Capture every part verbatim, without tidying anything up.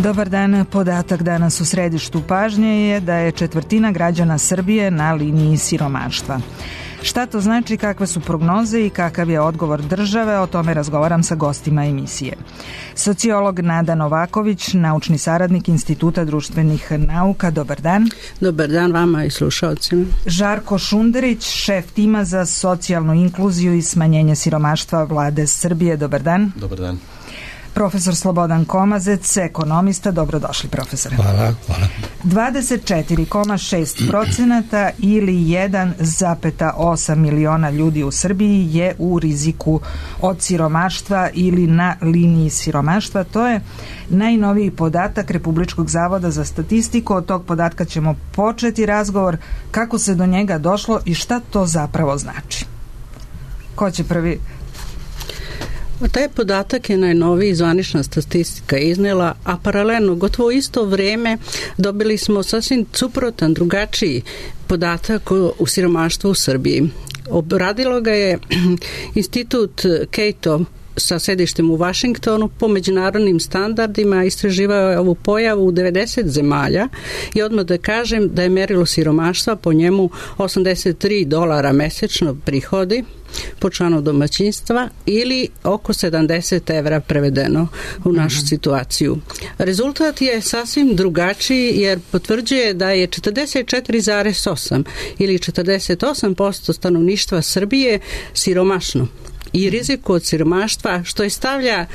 Dobar dan. Podatak danas u središtu pažnje je da je četvrtina građana Srbije na liniji siromaštva. Šta to znači, kakve su prognoze i kakav je odgovor države, o tome razgovaram sa gostima emisije. Sociolog Nada Novaković, naučni saradnik Instituta društvenih nauka. Dobar dan. Dobar dan vama i slušalcima. Žarko Šunderić, šef tima za socijalnu inkluziju i smanjenje siromaštva Vlade Srbije. Dobar dan. Dobar dan. Profesor Slobodan Komazec, ekonomista. Dobrodošli, profesore. Hvala, hvala. dvadeset četiri zarez šest procenata ili jedan zarez osam miliona ljudi u Srbiji je u riziku od siromaštva ili na liniji siromaštva. To je najnoviji podatak Republičkog zavoda za statistiku. Od tog podatka ćemo početi razgovor, kako se do njega došlo i šta to zapravo znači. Ko će prvi? Taj podatak je najnoviji, zvanična statistika iznela, a paralelno, gotovo isto vrijeme, dobili smo sasvim suprotan, drugačiji podatak u siromaštvu u Srbiji. Obradilo ga je Institut Cato sa sedištem u Vašingtonu, po međunarodnim standardima istraživao je ovu pojavu u devedeset zemalja i odmah da kažem da je merilo siromaštva po njemu osamdeset tri dolara mesečno prihodi po članu domaćinstva ili oko sedamdeset evra prevedeno u našu situaciju. Rezultat je sasvim drugačiji jer potvrđuje da je četrdeset četiri zarez osam ili četrdeset osam posto stanovništva Srbije siromašno i riziku od siromaštva, što je stavlja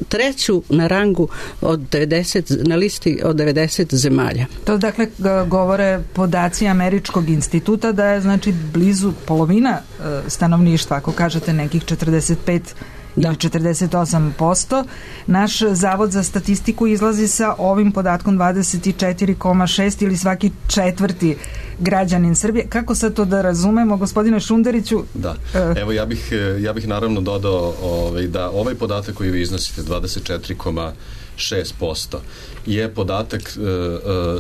treću na rangu od devedeset, na listi od devedeset zemalja. To dakle govore podaci Američkog instituta da je znači blizu polovina stanovništva, ako kažete nekih četrdeset pet ili četrdeset osam posto. Naš Zavod za statistiku izlazi sa ovim podatkom dvadeset četiri zarez šest ili svaki četvrti građanin Srbije. Kako sad to da razumemo, gospodine Šunderiću? Da, evo ja bih, ja bih naravno dodao ovaj, da ovaj podatak koji vi iznosite, dvadeset četiri zarez šest posto, je podatak e, e,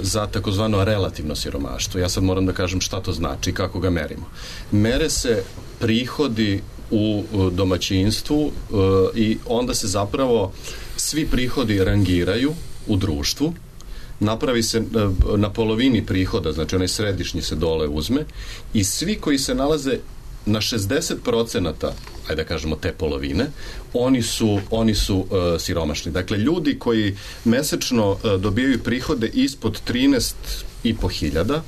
za takozvano relativno siromaštvo. Ja sad moram da kažem šta to znači i kako ga merimo. Mere se prihodi u domaćinstvu e, i onda se zapravo svi prihodi rangiraju u društvu, napravi se na polovini prihoda, znači onaj središnji se dole uzme i svi koji se nalaze na šezdeset procenata, ajde da kažemo te polovine, oni su, oni su uh, siromašni. Dakle, ljudi koji mesečno uh, dobijaju prihode ispod trinaest i po hiljada,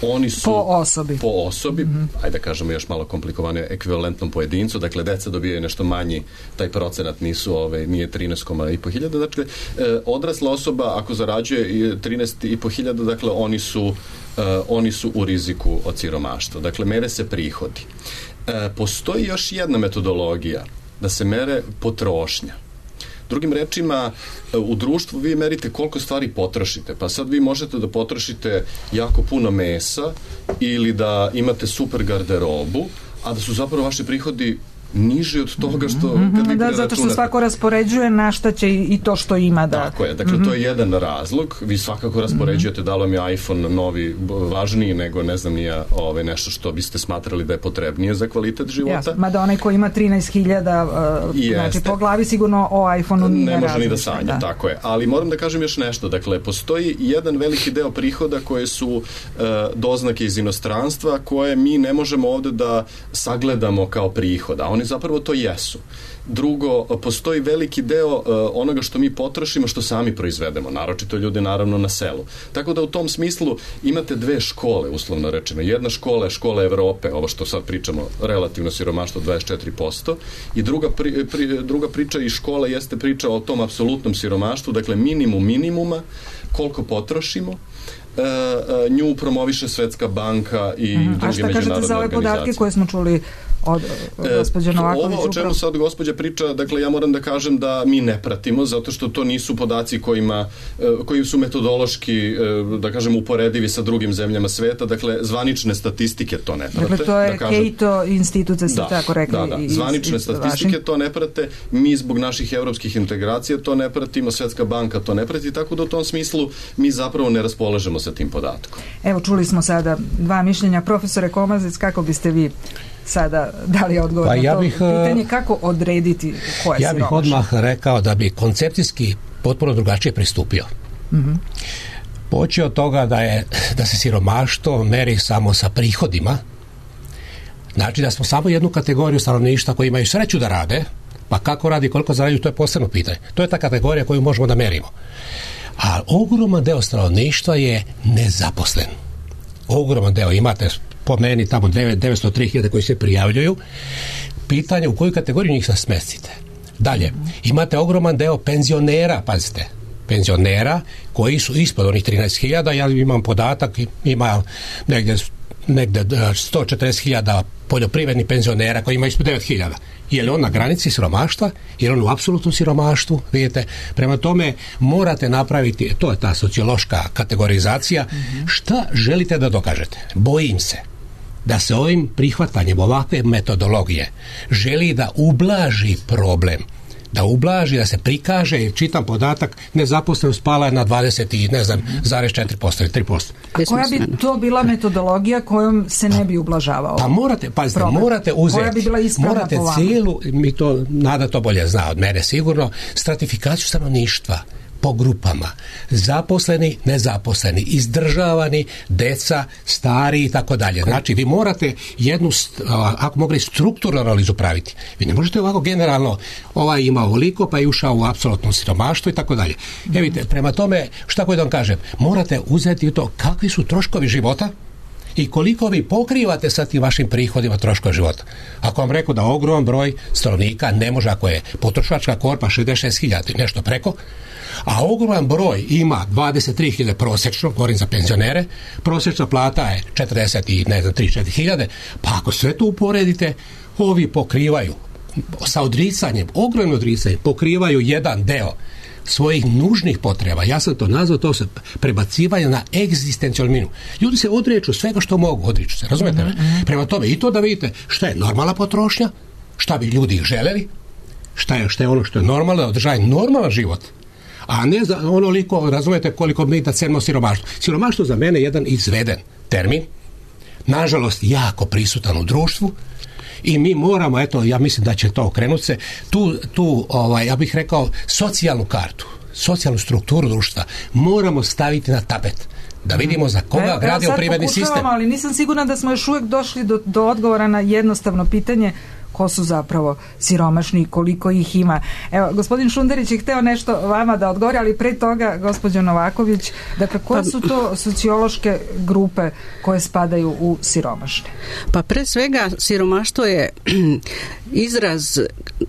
oni su po osobi, po osobi mm-hmm. ajde da kažemo još malo komplikovane, ekvivalentnom pojedincu, dakle deca dobijaju nešto manji, taj procenat nisu, ove, nije trinaest i po hiljada, dakle e, odrasla osoba ako zarađuje trinaest i po hiljada, dakle oni su, e, oni su u riziku od siromaštva, dakle mere se prihodi. E, postoji još jedna metodologija da se mere potrošnja. Drugim rečima, u društvu vi merite koliko stvari potrošite, pa sad vi možete da potrošite jako puno mesa ili da imate super garderobu, a da su zapravo vaši prihodi niži od toga što mm-hmm. kad vi da, zato što svako raspoređuje na šta će i to što ima da... Tako je, dakle mm-hmm. to je jedan razlog, vi svakako raspoređujete da li vam je iPhone novi važniji nego ne znam nije ovaj, nešto što biste smatrali da je potrebnije za kvalitet života. Jasno, mada onaj ko ima trinaest hiljada uh, znači po glavi sigurno o iPhone-u nije ne može različno, ni da sanja, da. Tako je, ali moram da kažem još nešto, dakle postoji jedan veliki deo prihoda koje su uh, doznake iz inostranstva koje mi ne možemo ovde da sagledamo kao prihod, a oni zapravo to jesu. Drugo, postoji veliki deo uh, onoga što mi potrošimo, što sami proizvedemo, naročito ljudi naravno na selu. Tako da u tom smislu imate dve škole, uslovno rečeno. Jedna škola je škola Evrope, ovo što sad pričamo, relativno siromaštvo dvadeset četiri posto, i druga, pri, pri, druga priča i škola jeste priča o tom apsolutnom siromaštvu, dakle minimum minimuma, koliko potrošimo. Uh, uh, nju promoviše Svetska banka i mm. druge međunarodne organizacije. A šta kažete za ove podatke koje smo čuli od gospođe Novaković? Ovo o čemu sad gospođa priča, dakle ja moram da kažem da mi ne pratimo, zato što to nisu podaci kojima, koji su metodološki, da kažem, uporedivi sa drugim zemljama sveta, dakle zvanične statistike to ne prate. Dakle to je da kažem, Cato institut, da ste tako rekli. Da, da, iz, zvanične iz, statistike iz to ne prate, mi zbog naših evropskih integracija to ne pratimo, Svetska banka to ne prati, tako da u tom smislu mi zapravo ne raspolažemo sa tim podatkom. Evo, čuli smo sada dva mišljenja. Profesore Komazec, kako biste vi sada dali odgovor pa na ja to bih, pitanje, kako odrediti ko je ja bih siromašan? Odmah rekao da bi koncepcijski potpuno drugačije pristupio. Mm-hmm. Počeo od toga da, je, da se siromaštvo meri samo sa prihodima, znači da smo samo jednu kategoriju stanovništva koji imaju sreću da rade, pa kako radi, koliko zarađuju, to je posebno pitanje. To je ta kategorija koju možemo da merimo. A ogroman deo stanovništva je nezaposlen. Ogroman deo, imate po meni tamo devetsto tri hiljade koji se prijavljuju. Pitanje u koju kategoriju njih se smestite. Dalje, imate ogroman deo penzionera, pazite, penzionera koji su ispod onih trinaest hiljada, ja imam podatak, ima negdje, negdje sto četrdeset hiljada poljoprivrednih penzionera koji ima ispod devet hiljada. Je li on na granici siromaštva? Je li on u apsolutnom siromaštvu? Vidite, prema tome morate napraviti, to je ta sociološka kategorizacija, mm-hmm. šta želite da dokažete? Bojim se da se ovim prihvatanjem ovakve metodologije želi da ublaži problem, da ublaži, da se prikaže, jer čitam podatak, nezaposlenost pala je na dvadeset i ne znam, zarez četiri posto ili tri posto. A koja bi to bila metodologija kojom se ne bi ublažavao? Pa morate, pazite, problem. morate uzeti, bi morate cijelu, mi to, Nada to bolje zna od mene sigurno, stratifikaciju stanovništva po grupama, zaposleni, nezaposleni, izdržavani, deca, stari i tako dalje. Znači, vi morate jednu, ako mogli strukturnu analizu praviti. Vi ne možete ovako generalno, ovaj ima ovoliko, pa je ušao u apsolutno siromaštvo i tako dalje. E vidite, prema tome, šta koji da vam kažem, morate uzeti to kakvi su troškovi života i koliko vi pokrivate sa tim vašim prihodima troškova života. Ako vam rekao da ogroman broj stanovnika ne može, ako je potrošačka korpa šezdeset šest hiljada nešto preko, a ogroman broj ima dvadeset tri hiljade prosječno, govorim za penzionere, prosječna plata je četrdeset i ne znam tri četiri hiljade, pa ako sve to uporedite, ovi pokrivaju sa odricanjem, ogromno odricanjem, pokrivaju jedan deo svojih nužnih potreba. Ja sam to nazvao, to se prebacivanje na egzistencijalnu minu. Ljudi se odriču svega što mogu, odriču se, razumete me? Mm-hmm. Prema tome i to da vidite šta je normalna potrošnja, šta bi ljudi želeli, šta je, šta je ono što je normalno, da održaje normalan život, a ne za onoliko, razumete, koliko mi da cenimo siromaštvo. Siromaštvo za mene je jedan izveden termin, nažalost jako prisutan u društvu, i mi moramo, eto, ja mislim da će to okrenuti se, tu, tu ovaj, ja bih rekao, socijalnu kartu, socijalnu strukturu društva moramo staviti na tapet, da vidimo za koga e, gradio privredni sistem. Ali nisam sigurna da smo još uvijek došli do, do odgovora na jednostavno pitanje ko su zapravo siromašni i koliko ih ima. Evo, gospodin Šunderić je hteo nešto vama da odgovori, ali pre toga, gospođo Novaković, dakle, koje su to sociološke grupe koje spadaju u siromašne? Pa pre svega, siromaštvo je izraz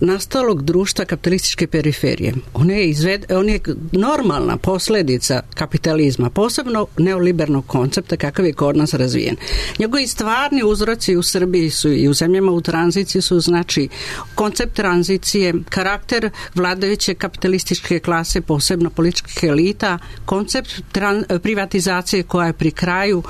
nastalog društva kapitalističke periferije. On je, izved, on je normalna posljedica kapitalizma, posebno neoliberalnog koncepta kakav je kod nas razvijen. Njegovi stvarni uzroci u Srbiji su i u zemljama u tranziciji su znači koncept tranzicije, karakter vladajuće kapitalističke klase, posebno političkih elita, koncept tran- privatizacije koja je pri kraju,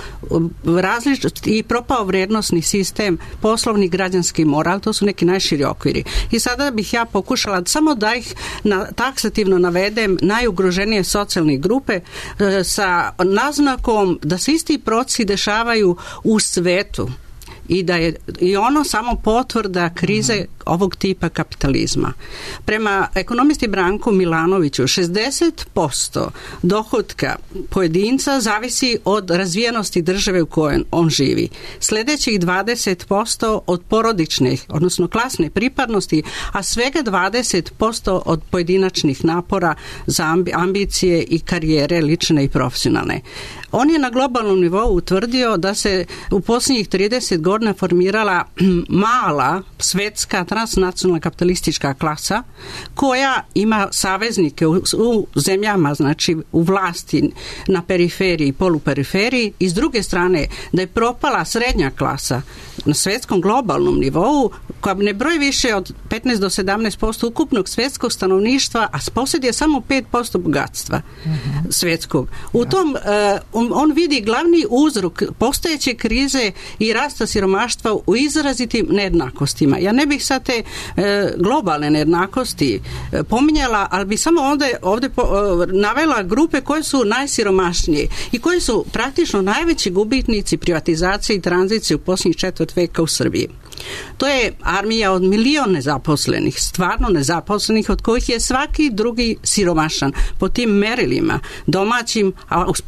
različit i propao vrijednosni sistem, poslovni građanski moral, to su neki najširi okviri. I sada bih ja pokušala samo da ih na, taksativno navedem najugroženije socijalne grupe e, sa naznakom da se isti procesi dešavaju u svetu i da je i ono samo potvrda krize mm-hmm. ovog tipa kapitalizma. Prema ekonomisti Branku Milanoviću, šezdeset posto dohotka pojedinca zavisi od razvijenosti države u kojoj on živi. Sljedećih dvadeset posto od porodičnih, odnosno klasne pripadnosti, a svega dvadeset posto od pojedinačnih napora za ambicije i karijere lične i profesionalne. On je na globalnom nivou utvrdio da se u posljednjih trideset godina formirala mala svetska transnacionalna kapitalistička klasa koja ima saveznike u, u zemljama, znači u vlasti na periferiji i poluperiferiji, i s druge strane da je propala srednja klasa na svetskom globalnom nivou koja ne broji više od petnaest do sedamnaest posto ukupnog svjetskog stanovništva, a posjeduje samo pet posto bogatstva mm-hmm. svjetskog. U ja. tom uh, on, on vidi glavni uzrok postojeće krize i rasta siromaštva u izrazitim nejednakostima. Ja ne bih sad te uh, globalne nejednakosti uh, pominjala, ali bi samo ovdje, ovdje po, uh, navela grupe koje su najsiromašnije i koji su praktično najveći gubitnici privatizacije i tranzicije u posljednjih četvrt veka u Srbiji. To je armija od milion nezaposlenih, stvarno nezaposlenih, od kojih je svaki drugi siromašan po tim merilima, domaćim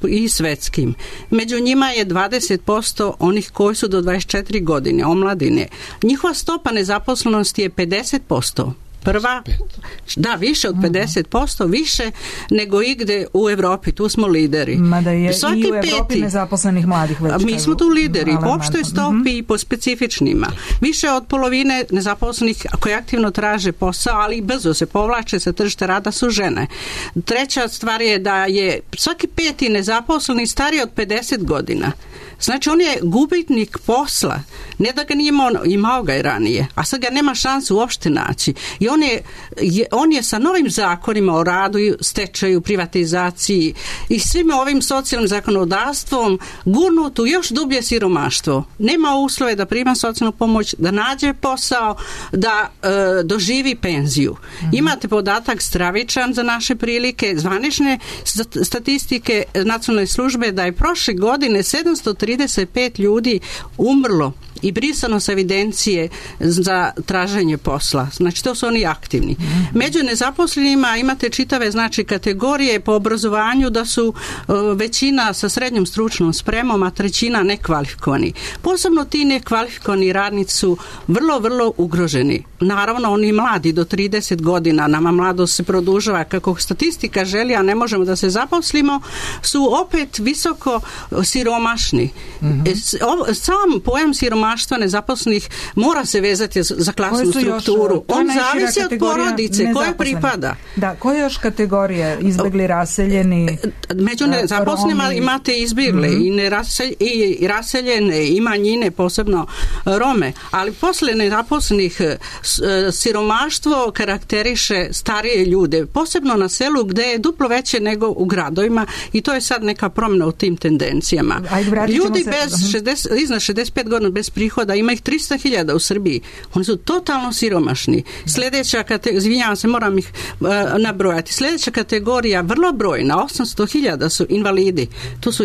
i svetskim. Među njima je dvadeset posto onih koji su do dvadeset četiri godine, omladine. Njihova stopa nezaposlenosti je pedeset posto. Prva, da, više od pedeset posto, više nego igde u Evropi, tu smo lideri. Mada je svaki i u Evropi peti, nezaposlenih mladih već. Mi smo tu lideri, po opštoj stopi mm-hmm. i po specifičnima. Više od polovine nezaposlenih koji aktivno traže posao, ali brzo se povlače sa tržišta rada su žene. Treća stvar je da je svaki peti nezaposleni stariji od pedeset godina. Znači on je gubitnik posla, ne da ga nije imao, imao ga i ranije, a sad ga nema šanse uopšte naći. I on je, je, on je sa novim zakonima o radu, stečaju, privatizaciji i svim ovim socijalnim zakonodavstvom gurnut u još dublje siromaštvo. Nema uslove da prima socijalnu pomoć, da nađe posao, da e, doživi penziju. Mm-hmm. Imate podatak stravičan za naše prilike, zvanične statistike nacionalne službe da je prošle godine sedamsto trideset pet ljudi umrlo i brisano sa evidencije za traženje posla. Znači, to su oni aktivni. Među nezaposlenima imate čitave znači kategorije po obrazovanju da su uh, većina sa srednjom stručnom spremom, a trećina nekvalifikovani. Posebno ti nekvalifikovani radnici su vrlo, vrlo ugroženi. Naravno, oni mladi do trideset godina, nama mladost se produžava kako statistika želi, a ne možemo da se zaposlimo, su opet visoko siromašni. Mm-hmm. Sam pojam siromaštva nezaposlenih mora se vezati za klasnu strukturu. Još, on zavisi od porodice koje pripada. Da, koje još kategorije? Izbjegli, raseljeni? Među nezaposlenima imate izbjegle mm-hmm. i, neraselj, i raseljene i manjine, posebno Rome. Ali posle nezaposlenih siromaštvo karakteriše starije ljude, posebno na selu gde je duplo veće nego u gradovima i to je sad neka promjena u tim tendencijama. Ajde, ljudi bez šezdeset, iznad šezdeset pet godina bez prihoda, ima ih tristo hiljada u Srbiji. Oni su totalno siromašni. Sljedeća kategorija, izvinjavam se, moram ih uh, nabrojati. Sljedeća kategorija, vrlo brojna, osamsto hiljada su invalidi. To su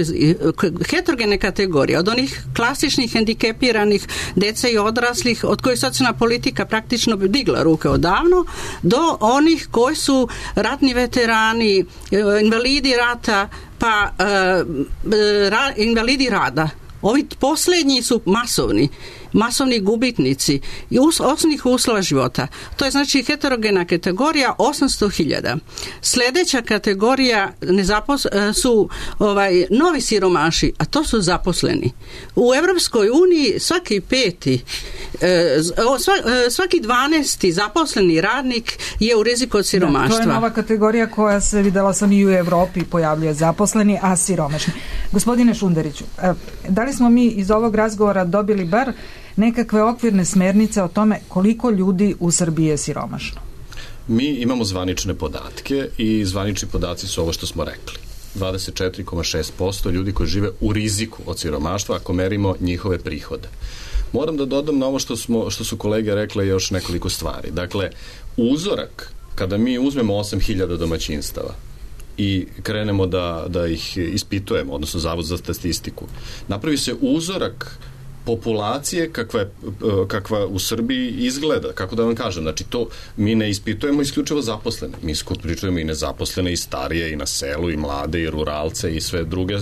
heterogene kategorije. Od onih klasičnih hendikepiranih dece i odraslih, od kojih socijalna politika praktično bi digla ruke odavno, do onih koji su ratni veterani, invalidi rata, pa uh, ra, invalidi rada. Ovi posljednji su masovni, masovni gubitnici i us, osnovnih uslova života. To je znači heterogena kategorija osamsto hiljada. Sljedeća kategorija nezapos, su ovaj, novi siromaši, a to su zaposleni. U Evropskoj uniji svaki peti, svaki dvanesti zaposleni radnik je u riziku od siromaštva. Da, to je nova kategorija koja se videla sam i u Evropi pojavljuje, zaposleni, a siromašni. Gospodine Šunderiću, da li smo mi iz ovog razgovora dobili bar nekakve okvirne smernice o tome koliko ljudi u Srbiji je siromašno? Mi imamo zvanične podatke i zvanični podaci su ovo što smo rekli. dvadeset četiri zarez šest posto ljudi koji žive u riziku od siromaštva ako merimo njihove prihode. Moram da dodam na ovo što, smo, što su kolege rekle još nekoliko stvari. Dakle, uzorak, kada mi uzmemo osam hiljada domaćinstava i krenemo da, da ih ispitujemo, odnosno Zavod za statistiku, napravi se uzorak populacije kakva, je, kakva u Srbiji izgleda, kako da vam kažem, znači to mi ne ispitujemo isključivo zaposlene, mi isključujemo i nezaposlene i starije i na selu i mlade i ruralce i sve druge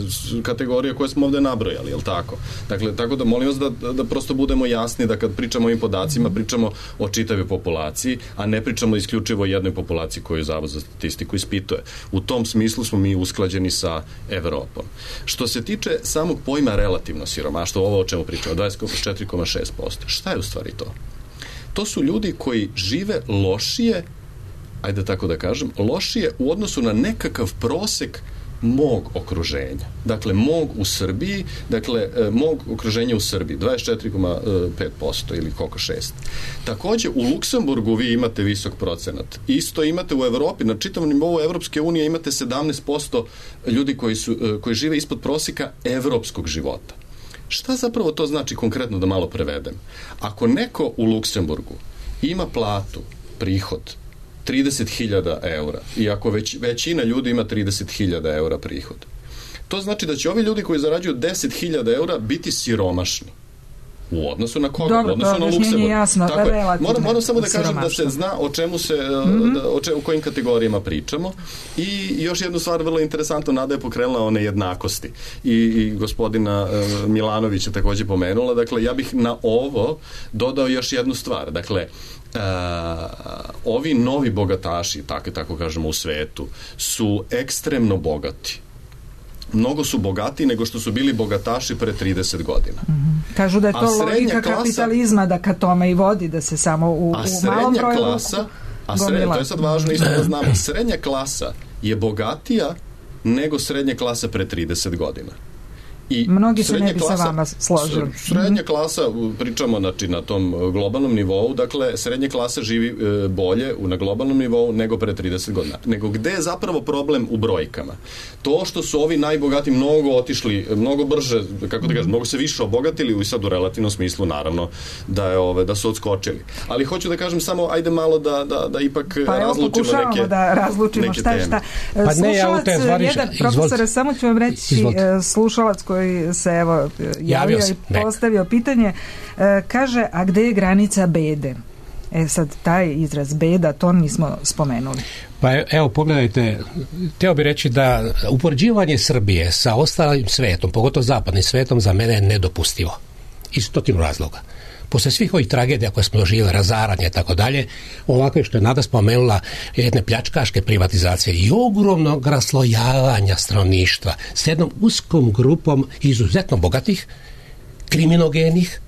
kategorije koje smo ovde nabrojali, je li tako? Dakle, tako da molim vas da, da prosto budemo jasni da kad pričamo o ovim podacima, pričamo o čitavoj populaciji, a ne pričamo isključivo o jednoj populaciji koju Zavod za statistiku ispituje. U tom smislu smo mi usklađeni sa Evropom. Što se tiče samog pojma relativno siromaštvo, ovo o čemu pričamo, dvadeset četiri zarez šest posto. Šta je u stvari to? To su ljudi koji žive lošije, ajde tako da kažem, lošije u odnosu na nekakav prosek mog okruženja. Dakle, mog u Srbiji, dakle, mog okruženja u Srbiji, dvadeset četiri zarez pet posto ili koliko šest. Takođe, u Luksemburgu vi imate visok procenat. Isto imate u Evropi, na čitavom nivou Evropske unije imate sedamnaest posto ljudi koji, su, koji žive ispod proseka evropskog života. Šta zapravo to znači konkretno da malo prevedem? Ako neko u Luksemburgu ima platu, prihod, trideset hiljada eura i ako već, većina ljudi ima trideset hiljada eura prihod, to znači da će ovi ljudi koji zarađuju deset hiljada eura biti siromašni. U odnosu na koga? Dobro, u odnosu na Luksemburg. Jasno, tako je. Moram, moram samo da kažem da se zna o čemu se, mm-hmm. o, če, o kojim kategorijama pričamo. I još jednu stvar vrlo interesantno, Nada je pokrenula o nejednakosti. I, i gospodina uh, Milanovića također pomenula. Dakle, ja bih na ovo dodao još jednu stvar. Dakle, Uh, ovi novi bogataši, tako, tako kažemo u svetu, su ekstremno bogati. Mnogo su bogatiji nego što su bili bogataši pre trideset godina. Mm-hmm. Kažu da je to logika klasa, kapitalizma, da ka tome i vodi, da se samo u, u malom broju klasa, a srednja, to je sad važno isto da znamo, srednja klasa je bogatija nego srednja klasa pre trideset godina. I mnogi se ne bi klasa, sa vama složili. Srednja klasa, pričamo znači, na tom globalnom nivou, dakle, srednja klasa živi e, bolje na globalnom nivou nego pre trideset godina. Nego gde je zapravo problem u brojkama? To što su ovi najbogati mnogo otišli, mnogo brže, kako da kažem, mnogo se više obogatili i sad u relativnom smislu, naravno, da, je, ove, da su odskočili. Ali hoću da kažem samo, ajde malo da, da, da ipak pa razlučimo evo, neke da razlučimo neke šta je šta. Pa ne, ja u te zvariš, jedan, profesore, samo ću vam reći, izvolite. Slušalac koji se evo javio i postavio pitanje, e, kaže, a gde je granica bede? E sad, taj izraz beda, to nismo spomenuli. Pa evo, pogledajte, htio bih reći da upoređivanje Srbije sa ostalim svetom, pogotovo zapadnim svetom, za mene je nedopustivo. Iz stotinu razloga. Posle svih ovih tragedija koje smo doživjeli, razaranje i tako dalje, ovakve što je Nada spomenula, jedne pljačkaške privatizacije i ogromnog raslojavanja stanovništva s jednom uskom grupom izuzetno bogatih, kriminogenih,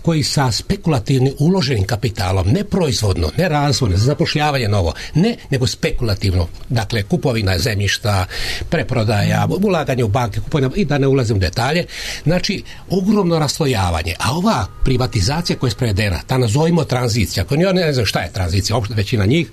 koji sa spekulativnim uloženim kapitalom, ne proizvodno, ne razvojno, za zapošljavanje novo, ne, nego spekulativno, dakle kupovina zemljišta, preprodaja, ulaganje u banke, kupovina, i da ne ulazim u detalje, znači ogromno raslojavanje, a ova privatizacija koja je sprovedena, ta nazovimo tranzicija, koja ne, ne znam šta je tranzicija, uopšte većina njih,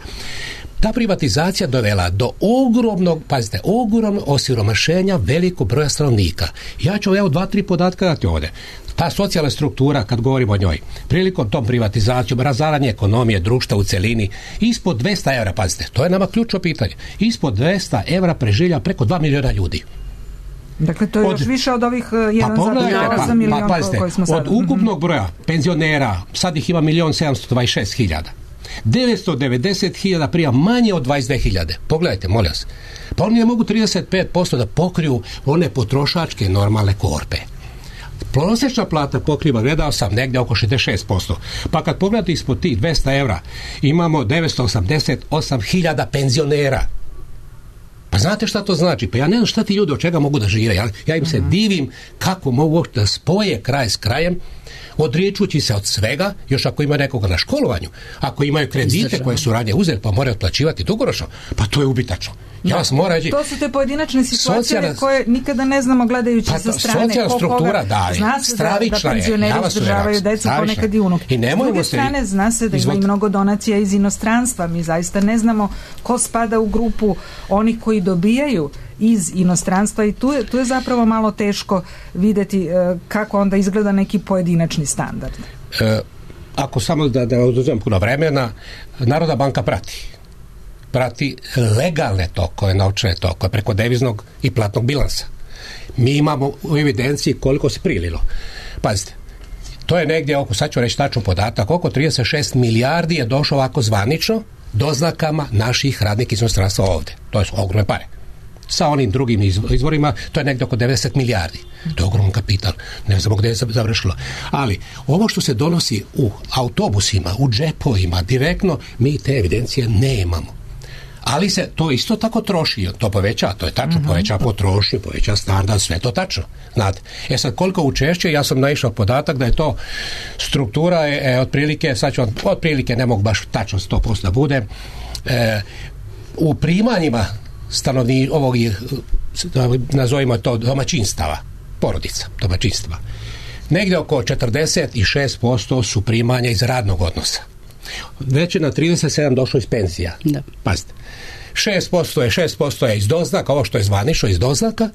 ta privatizacija dovela do ogromnog, pazite, ogromnog osiromašenja velikog broja stanovnika. Ja ću evo dva, tri podatka dati ovdje. Ta socijalna struktura, kad govorimo o njoj, prilikom tom privatizacijom, razaranje ekonomije, društva u celini, ispod dvesta evra, pazite, to je nama ključno pitanje, ispod dvesta evra preživlja preko dva miliona ljudi. Dakle, to je od, još više od ovih jedan zarez osam miliona pa, pa, koji smo sad. Od ukupnog broja penzionera, sad ih ima milion sedamsto dvadeset šest hiljada. devetsto devedeset hiljada prija manje od dvadeset dve hiljade. Pogledajte, molim vas. Pa oni ne mogu trideset pet posto da pokriju one potrošačke normalne korpe. Prosječna plata pokriva, gledao sam, negdje oko šezdeset šest posto. Pa kad pogledate ispod tih dvesta evra, imamo devetsto osamdeset osam hiljada penzionera. Pa znate šta to znači? Pa ja ne znam šta ti ljudi od čega mogu da žive. Ja, ja im se divim kako mogu da spoje kraj s krajem, odričući se od svega, još ako ima nekoga na školovanju, ako imaju kredite koje su ranije uzeli pa moraju otplaćivati dugoročno, pa to je ubitačno. Ja vas moram reći, to su te pojedinačne situacije socijalna, koje nikada ne znamo gledajući pa, sa strane. Socijalna struktura, da, zna se da, da penzioneri ja izdržavaju decu, ponekad i unuke. S druge strane, zna se da ima i mnogo donacija iz inostranstva. Mi zaista ne znamo ko spada u grupu onih koji dobijaju iz inostranstva i tu je, tu je zapravo malo teško vidjeti e, kako onda izgleda neki pojedinačni standard. E, ako samo da, da oduzem puno vremena, Narodna banka prati prati legalne tokove, novčane tokove preko deviznog i platnog bilansa. Mi imamo u evidenciji koliko se prililo. Pazite, to je negdje oko, sad ću reći tačno podatak, oko trideset šest milijardi je došlo ovako zvanično doznakama naših radnika iz inostranstva ovdje. To su ogromne pare. Sa onim drugim izvorima, to je negdje oko devedeset milijardi. To je ogroman kapital. Ne znamo gdje je završilo. Ali ovo što se donosi u autobusima, u džepovima, direktno, mi te evidencije nemamo. Ali se to isto tako troši, to poveća, to je tačno, mm-hmm. poveća potrošnju, poveća standard, sve to tačno. Znate, e sad koliko učešće, ja sam naišao podatak da je to struktura je, je otprilike, sad ću vam, otprilike ne mogu baš tačno sto posto da bude, e, u primanjima stanovni ovog, nazovimo to domaćinstava, porodica, domaćinstva. Negdje oko četrdeset šest posto su primanja iz radnog odnosa. Već je na trideset sedam došlo iz penzija. Da. Pazite. šest posto je šest posto je iz doznaka, ovo što je zvanično iz doznaka,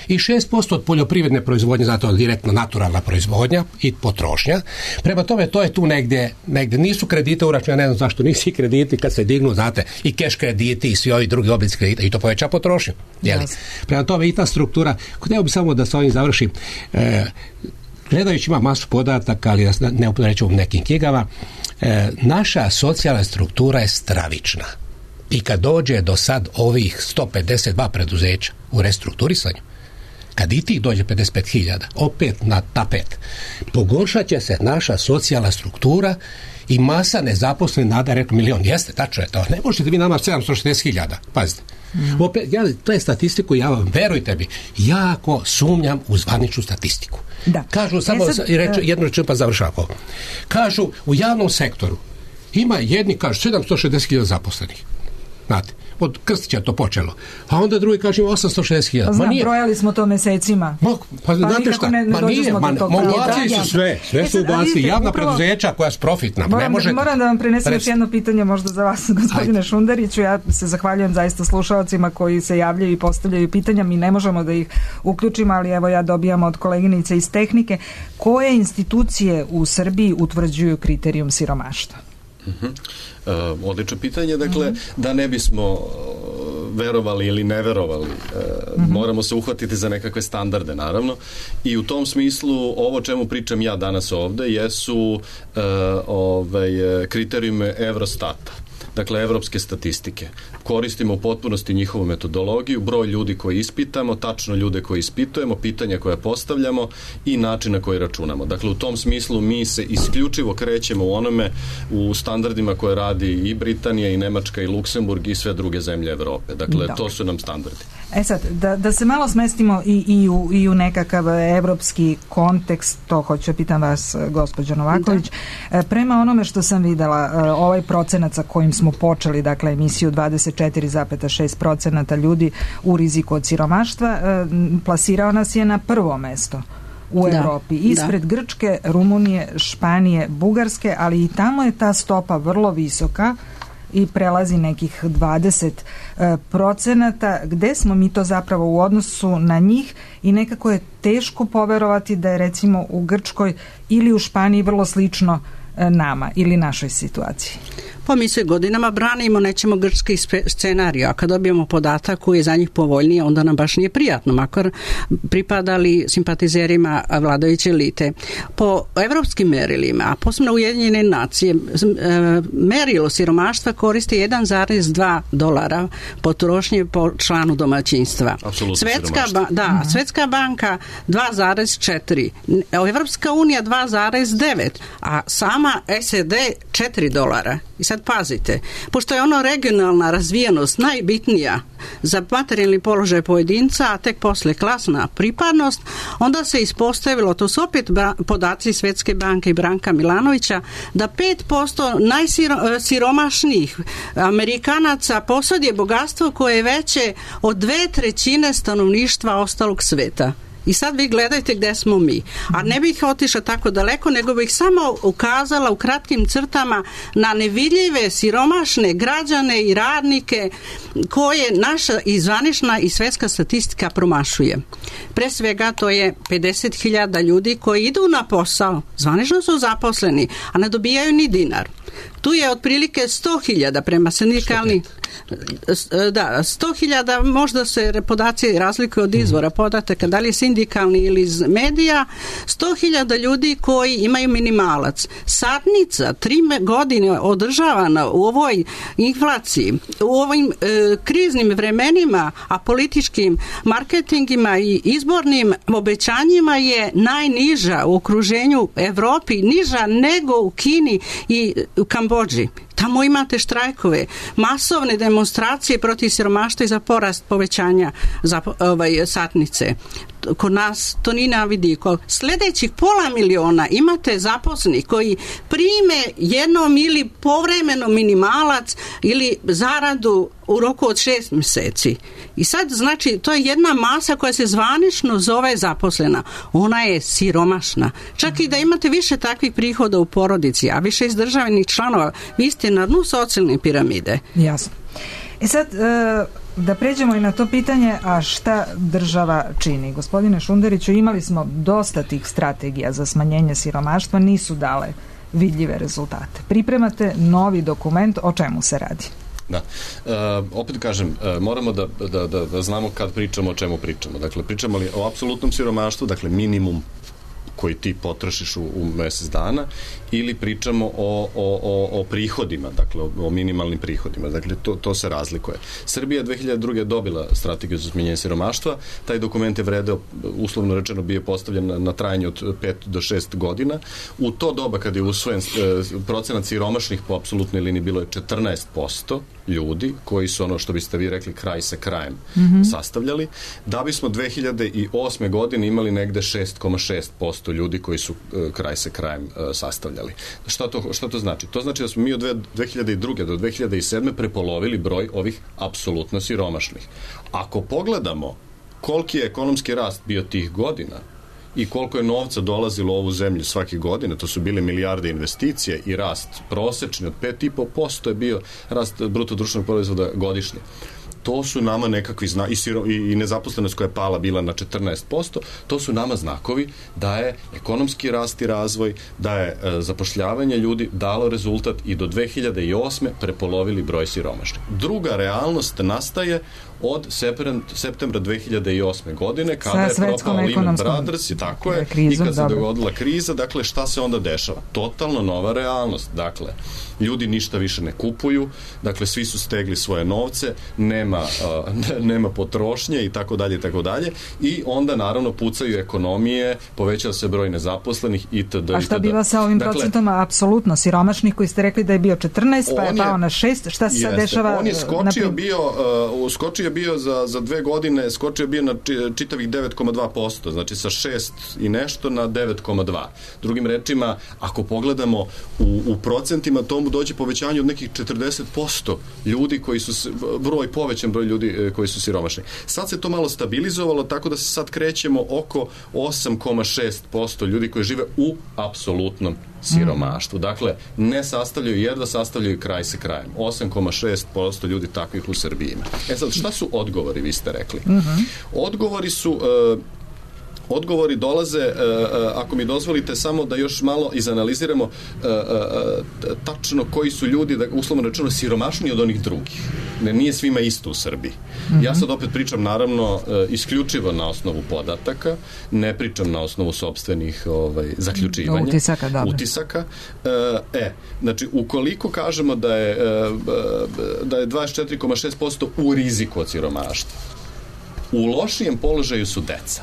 i šest posto od poljoprivredne proizvodnje, zato direktno naturalna proizvodnja i potrošnja. Prema tome, to je tu negdje, negdje. Nisu kredite uračunani, ne znam zašto nisu krediti kad se dignu, znate, i keš krediti i svi ovi drugi oblici kredita, i to poveća potrošnju. Yes. Prema tome, i ta struktura, htio bi samo da s ovim završim, e, gledajući ima masu podataka, ali ne upreću u nekim knjigama, e, naša socijalna struktura je stravična. I kad dođe do sad ovih sto pedeset dva preduzeća u restrukturisanju, kad i tih dođe pedeset pet hiljada, opet na tapet, pogoršat će se naša socijalna struktura i masa nezaposlenih, nada rekao milion. Jeste, tačno je to. Ne možete vi nama sedamsto šezdeset hiljada. Pazite. Mm. Opet, ja, to je statistiku, ja vam, verujte mi, jako sumnjam u zvaničnu statistiku. Da. Kažu, samo e sad, reč, jednu rečenu pa završavamo. Kažu, u javnom sektoru ima jedni, kažu, sedamsto šezdeset hiljada zaposlenih. Znate, od Krstića to počelo. A onda drugi kaže osamsto šezdeset hiljada. Znam, brojali smo to mesecima. Ma, pa, pa znate šta, ne, ma nije, ma, ubacili su sve, sve su ubacili, javna upravo, preduzeća koja su profitna. Moram, ne možete, moram da vam prenesem još jedno pitanje možda za vas, gospodine Ajde. Šunderiću. Ja se zahvaljujem zaista slušalcima koji se javljaju i postavljaju pitanja. Mi ne možemo da ih uključimo, ali evo ja dobijam od koleginice iz tehnike. Koje institucije u Srbiji utvrđuju kriterijum siromaštva? Uh-huh. Uh, odlično pitanje, dakle, uh-huh. da ne bismo uh, verovali ili ne verovali, uh, uh-huh. moramo se uhvatiti za nekakve standarde, naravno, i u tom smislu ovo čemu pričam ja danas ovde jesu uh, ovaj, kriterijume Eurostata. Dakle, evropske statistike. Koristimo u potpunosti njihovu metodologiju, broj ljudi koji ispitamo, tačno ljude koji ispitujemo, pitanja koja postavljamo i način na koji računamo. Dakle, u tom smislu mi se isključivo krećemo u onome, u standardima koje radi i Britanija, i Nemačka, i Luksemburg, i sve druge zemlje Evrope. Dakle, Dobre. To su nam standardi. E sad, da, da se malo smestimo i, i, u, i u nekakav evropski kontekst, to hoću pitam vas, gospođo Novaković. Da. Prema onome što sam videla, ovaj procenat sa kojim smo počeli, dakle, emisiju dvadeset četiri zarez šest procenata ljudi u riziku od siromaštva, plasirao nas je na prvo mesto u da, Evropi. Ispred da. Grčke, Rumunije, Španije, Bugarske, ali i tamo je ta stopa vrlo visoka i prelazi nekih dvadeset procenata. Gde smo mi to zapravo u odnosu na njih i nekako je teško poverovati da je recimo u Grčkoj ili u Španiji vrlo slično nama ili našoj situaciji. Pa mi se godinama branimo, nećemo grčki scenarij, a kad dobijemo podatak koji je za njih povoljniji, onda nam baš nije prijatno, makar pripadali simpatizerima vladajuće elite. Po evropskim merilima, a posebno Ujedinjene nacije, merilo siromaštva koristi jedan zarez dva dolara potrošnje po članu domaćinstva. Svetska, ba, da, uh-huh. Svetska banka dva zarez četiri, Evropska unija dva zarez devet, a sama S A D četiri dolara. I sad pazite, pošto je ono regionalna razvijenost najbitnija za materijalni položaj pojedinca, a tek posle klasna pripadnost, onda se ispostavilo, to su opet podaci Svetske banke i Branka Milanovića, da pet posto najsiromašnijih Amerikanaca posjeduje bogatstvo koje je veće od dve trećine stanovništva ostalog sveta. I sad vi gledajte gde smo mi. A ne bih otišla tako daleko, nego bih samo ukazala u kratkim crtama na nevidljive, siromašne građane i radnike koje naša i zvanična i svetska statistika promašuje. Pre svega to je pedeset hiljada ljudi koji idu na posao, zvanično su zaposleni, a ne dobijaju ni dinar. Tu je otprilike sto hiljada prema sindikalni da, sto hiljada, možda se podaci razlikuju od izvora podataka, da li je sindikalni ili iz medija, sto hiljada ljudi koji imaju minimalac. Satnica tri godine održavana u ovoj inflaciji, u ovim e, kriznim vremenima, a političkim marketingima i izbornim obećanjima je najniža u okruženju Evropi, niža nego u Kini i u Kambodži. Tamo imate štrajkove, masovne demonstracije protiv siromaštva i za porast povećanja za ovaj, satnice. Kod nas to ni na vidiku. Sljedećih pola miliona imate zaposlenih koji prime jednom ili povremeno minimalac ili zaradu u roku od šest mjeseci. I sad, znači, to je jedna masa koja se zvanično zove zaposlena. Ona je siromašna. Čak i da imate više takvih prihoda u porodici, a više izdržavanih članova, vi ste na dnu socijalne piramide. Jasno. E sad, da pređemo i na to pitanje, a šta država čini? Gospodine Šunderiću, imali smo dosta tih strategija za smanjenje siromaštva, nisu dale vidljive rezultate. Pripremate novi dokument, o čemu se radi? Da. E, opet kažem, e, moramo da, da, da, da znamo kad pričamo o čemu pričamo. Dakle, pričamo li o apsolutnom siromaštvu, dakle minimum koji ti potrošiš u, u mesec dana, ili pričamo o, o, o, o prihodima, dakle o, o minimalnim prihodima. Dakle, to, to se razlikuje. Srbija dve hiljade druge dobila strategiju za smanjenje siromaštva. Taj dokument je vredeo, uslovno rečeno, bio postavljen na, na trajanje od pet do šest godina. U to doba kad je usvojen e, procenat siromašnih po apsolutnoj liniji bilo je četrnaest posto ljudi koji su, ono što biste vi rekli, kraj sa krajem mm-hmm. sastavljali, da bismo dve hiljade osme godine imali negde šest zarez šest posto ljudi koji su e, kraj sa krajem e, sastavljali. Šta to, šta to znači? To znači da smo mi od dve hiljade druge do dve hiljade sedme prepolovili broj ovih apsolutno siromašnih. Ako pogledamo koliki je ekonomski rast bio tih godina i koliko je novca dolazilo u ovu zemlju svake godine, to su bile milijarde investicije i rast prosečni od pet i po posto je bio rast bruto društvenog proizvoda godišnje. To su nama nekakvi zna i, siro, i nezaposlenost koja je pala bila na četrnaest posto, to su nama znakovi da je ekonomski rast i razvoj, da je e, zapošljavanje ljudi dalo rezultat i do dve hiljade osme prepolovili broj siromašnih. Druga realnost nastaje od septembra dve hiljade osme godine, kada je propao Lehman Brothers i tako je, krizom, i kad se dogodila kriza, dakle šta se onda dešava? Totalno nova realnost. Dakle, ljudi ništa više ne kupuju, dakle svi su stegli svoje novce, nema, uh, nema potrošnje i tako dalje i tako dalje, i onda naravno pucaju ekonomije, povećava se broj nezaposlenih itd. A šta biva sa ovim dakle, procentama apsolutno siromašnih koji ste rekli da je bio četrnaest, pa je pao na šest, šta se sad dešava? On je skočio na... bio, uh, skočio bio za, za dve godine, skočio bio na čitavih devet zarez dva posto, znači sa šest i nešto na devet zarez dva. Drugim rečima, ako pogledamo u, u procentima, tomu dođe povećanje od nekih četrdeset posto ljudi koji su, broj, povećan broj ljudi koji su siromašni. Sad se to malo stabilizovalo, tako da se sad krećemo oko osam zarez šest posto ljudi koji žive u apsolutnom siromaštvu. Dakle, ne sastavljaju, jedva sastavljaju kraj sa krajem. osam zarez šest posto ljudi takvih u Srbiji ima. E sad, šta su odgovori, vi ste rekli? Uh-huh. Odgovori su... Uh, Odgovori dolaze, uh, uh, ako mi dozvolite, samo da još malo izanaliziramo uh, uh, tačno koji su ljudi, da, uslovno rečeno, siromašniji od onih drugih. Ne, nije svima isto u Srbiji. Mm-hmm. Ja sad opet pričam, naravno, uh, isključivo na osnovu podataka, ne pričam na osnovu sopstvenih ovaj, zaključivanja. Utisaka, da. Utisaka. Uh, e, znači, ukoliko kažemo da je, uh, da je dvadeset četiri zarez šest posto u riziku od siromaštva, u lošijem položaju su deca.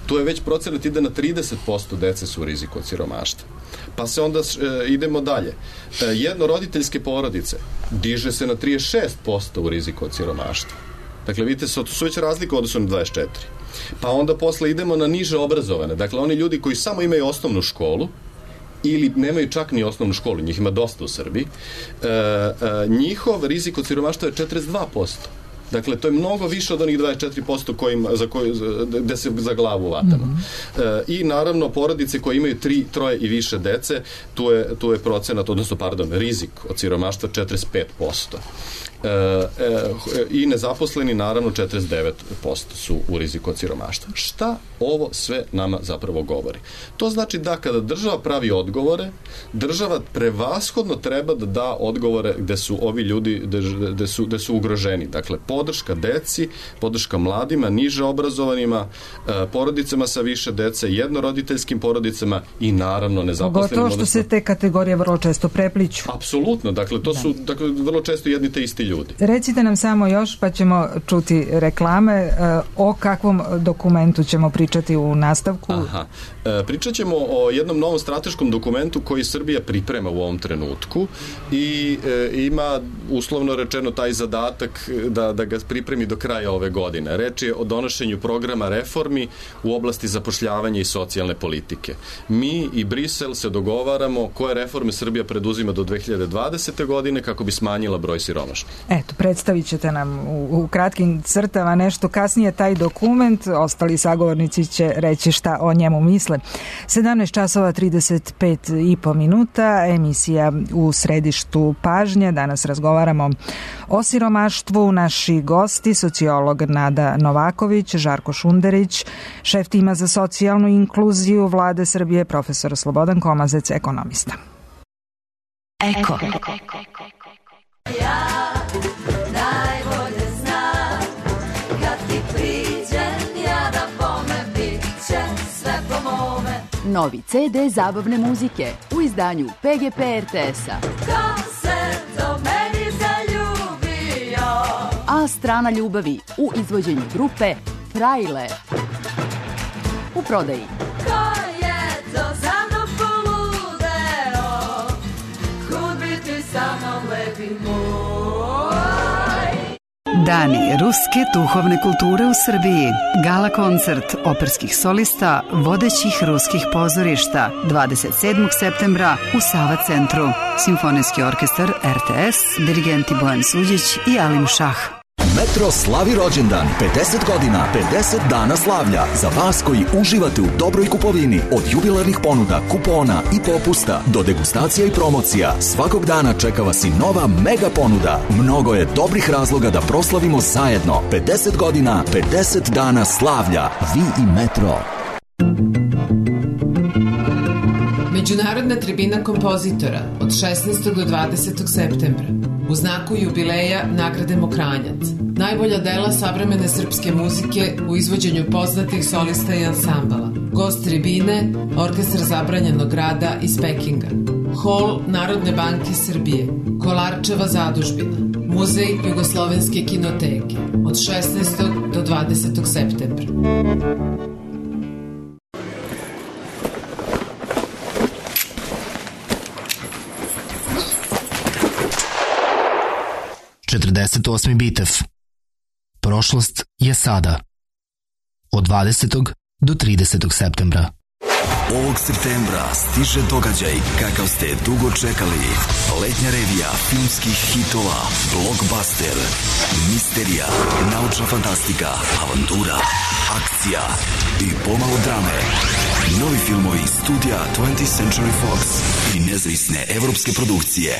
Tu je već procenat ide na trideset posto dece su u riziku od siromaštva. Pa se onda e, idemo dalje. E, jednoroditeljske porodice diže se na trideset šest posto u riziku od siromaštva. Dakle, vidite, su, su već razlika u odnosu na dvadeset četiri. Pa onda posle idemo na niže obrazovane. Dakle, oni ljudi koji samo imaju osnovnu školu ili nemaju čak ni osnovnu školu, njih ima dosta u Srbiji, e, e, njihov rizik od siromaštva je četrdeset dva posto. Dakle, to je mnogo više od onih dvadeset četiri posto kojim, za koji, gde se za glavu vatamo. Mm-hmm. E, I naravno, porodice koje imaju tri, troje i više dece, tu je, tu je procenat, odnosno, pardon, rizik od siromaštva četrdeset pet posto. E, e, i nezaposleni naravno četrdeset devet posto su u riziku od siromaštva. Šta ovo sve nama zapravo govori? To znači da kada država pravi odgovore, država prevashodno treba da da odgovore gde su ovi ljudi gde, gde, su, gde su ugroženi. Dakle, podrška deci, podrška mladima, niže obrazovanima, e, porodicama sa više dece, jednoroditeljskim porodicama i naravno nezaposlenim. Pogotovo što se te kategorije vrlo često prepliću. Apsolutno, dakle to da. su dakle, vrlo često jedni te isti ljudi. Recite nam samo još, pa ćemo čuti reklame, o kakvom dokumentu ćemo pričati u nastavku? Aha. E, pričat ćemo o jednom novom strateškom dokumentu koji Srbija priprema u ovom trenutku i e, ima uslovno rečeno taj zadatak da, da ga pripremi do kraja ove godine. Reč je o donošenju programa reformi u oblasti zapošljavanja i socijalne politike. Mi i Brisel se dogovaramo koje reforme Srbija preduzima do dve hiljade dvadesete godine kako bi smanjila broj siromašnih. Eto, predstavit ćete nam u, u kratkim crtama nešto kasnije taj dokument, ostali sagovornici će reći šta o njemu misle. sedamnaest časova trideset pet i po minuta, emisija u središtu pažnje. Danas razgovaramo o siromaštvu. Naši gosti, sociolog Nada Novaković, Žarko Šunderić, šef tima za socijalnu inkluziju Vlade Srbije, profesor Slobodan Komazec, ekonomista. Eko. Ja najbolje znam kad ti priđem ja da bome bit će sve po mome. Novi ce de zabavne muzike u izdanju P G P R T S-a. A strana ljubavi u izvođenju grupe Frajle. U prodaji. Dani ruske duhovne kulture u Srbiji. Gala koncert operskih solista vodećih ruskih pozorišta dvadeset sedmog septembra u Sava centru. Simfonijski orkestar R T S, dirigenti Bojan Suđić i Alim Šah. Metro slavi rođendan, pedeset godina, pedeset dana slavlja. Za vas koji uživate u dobroj kupovini, od jubilarnih ponuda, kupona i popusta do degustacija i promocija, svakog dana čeka vas i nova mega ponuda. Mnogo je dobrih razloga da proslavimo zajedno. pedeset godina, pedeset dana slavlja. Vi i Metro. Međunarodna tribina kompozitora od šesnaestog do dvadesetog septembra. U znaku jubileja nagrademo Kranjac. Najbolja dela savremene srpske muzike u izvođenju poznatih solista i ansambala. Gost tribine, Orkestar zabranjenog rada iz Pekinga. Hol Narodne banke Srbije. Kolarčeva zadužbina. Muzej Jugoslovenske kinoteke. Od šesnaestog do dvadesetog septembra. četrdeset osmi Bitev. Prošlost je sada. Od dvadesetog do tridesetog septembra. Ovog septembra stiže događaj kakav ste dugo čekali. Letnja revija filmskih hitova, blockbuster, misterija, naučna fantastika, avantura, akcija i pomalo drame. Novi filmovi studija twentieth Century Fox i nezavisne evropske produkcije.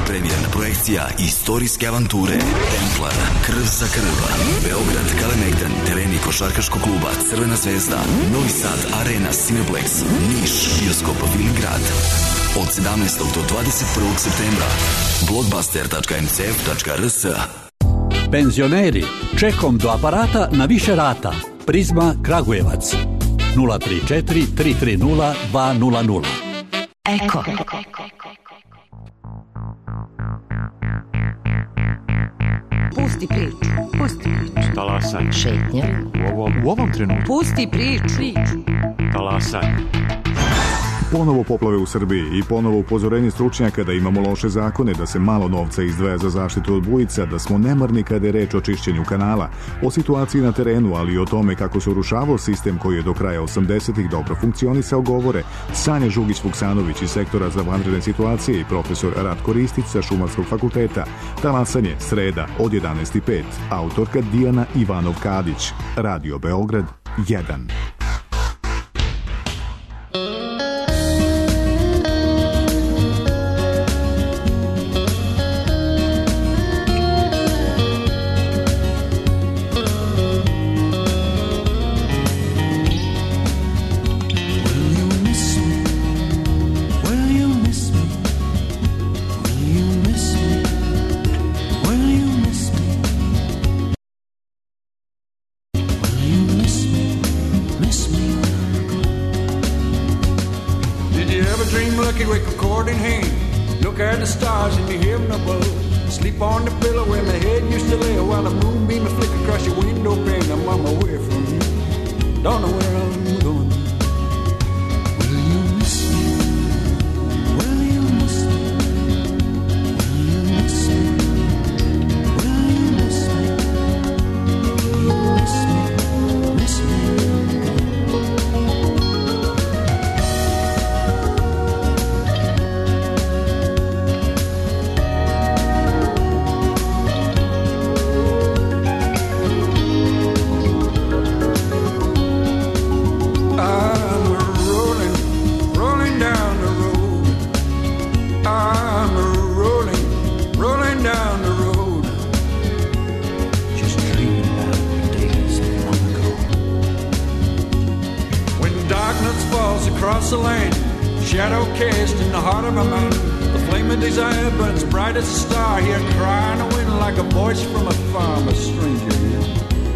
Premijerna projekcija istorijske avanture Templar, Krv za krv, Beograd, Kalemegdan, tereni košarkaškog kluba Crvena zvezda, Novi Sad, Arena, Cineplex, Niš, bioskop Viligrad. Od sedamnaestog do dvadeset prvog septembra. blockbuster tačka m c f tačka r s. Penzioneri, čekom do aparata na više rata. Prizma Kragujevac. nula tri četiri tri tri nula dva nula nula. Eko. Pusti priču. Pusti priču. Talasaj. Šetnja. U ovom, u ovom trenutku. Pusti priču. Talasaj. Ponovo poplave u Srbiji i ponovo upozorenje stručnjaka da imamo loše zakone, da se malo novca izdvaja za zaštitu od bujica, da smo nemarni kada je reč o čišćenju kanala, o situaciji na terenu, ali i o tome kako se urušavao sistem koji je do kraja osamdesetih dobro funkcionisao, govore Sanja Žugić-Vuksanović iz sektora za vanredne situacije i profesor Ratko Ristić sa Šumarskog fakulteta. Talasanje, sreda od jedanaest i pet. Autorka Dijana Ivanov-Kadić. Radio Beograd jedan.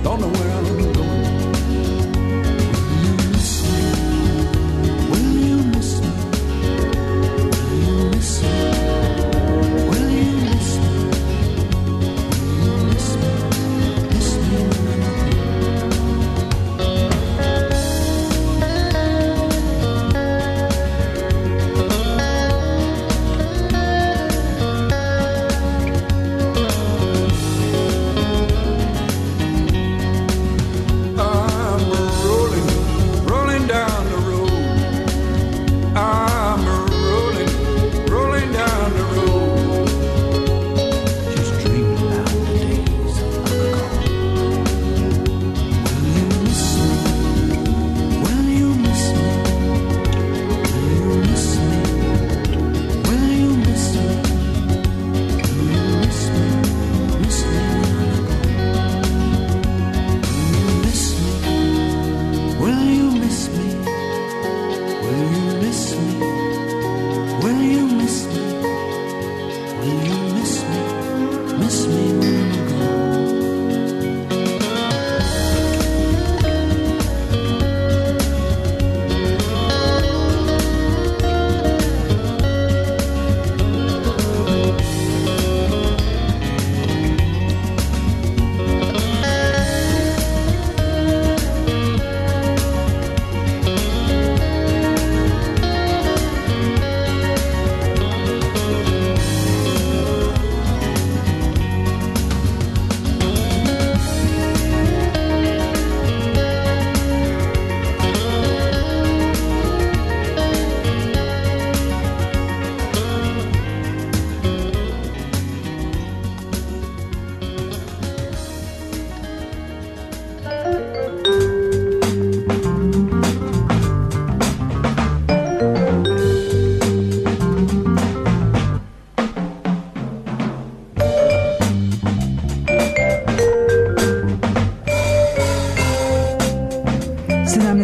Don't know where I'm going. Will you miss me? Will you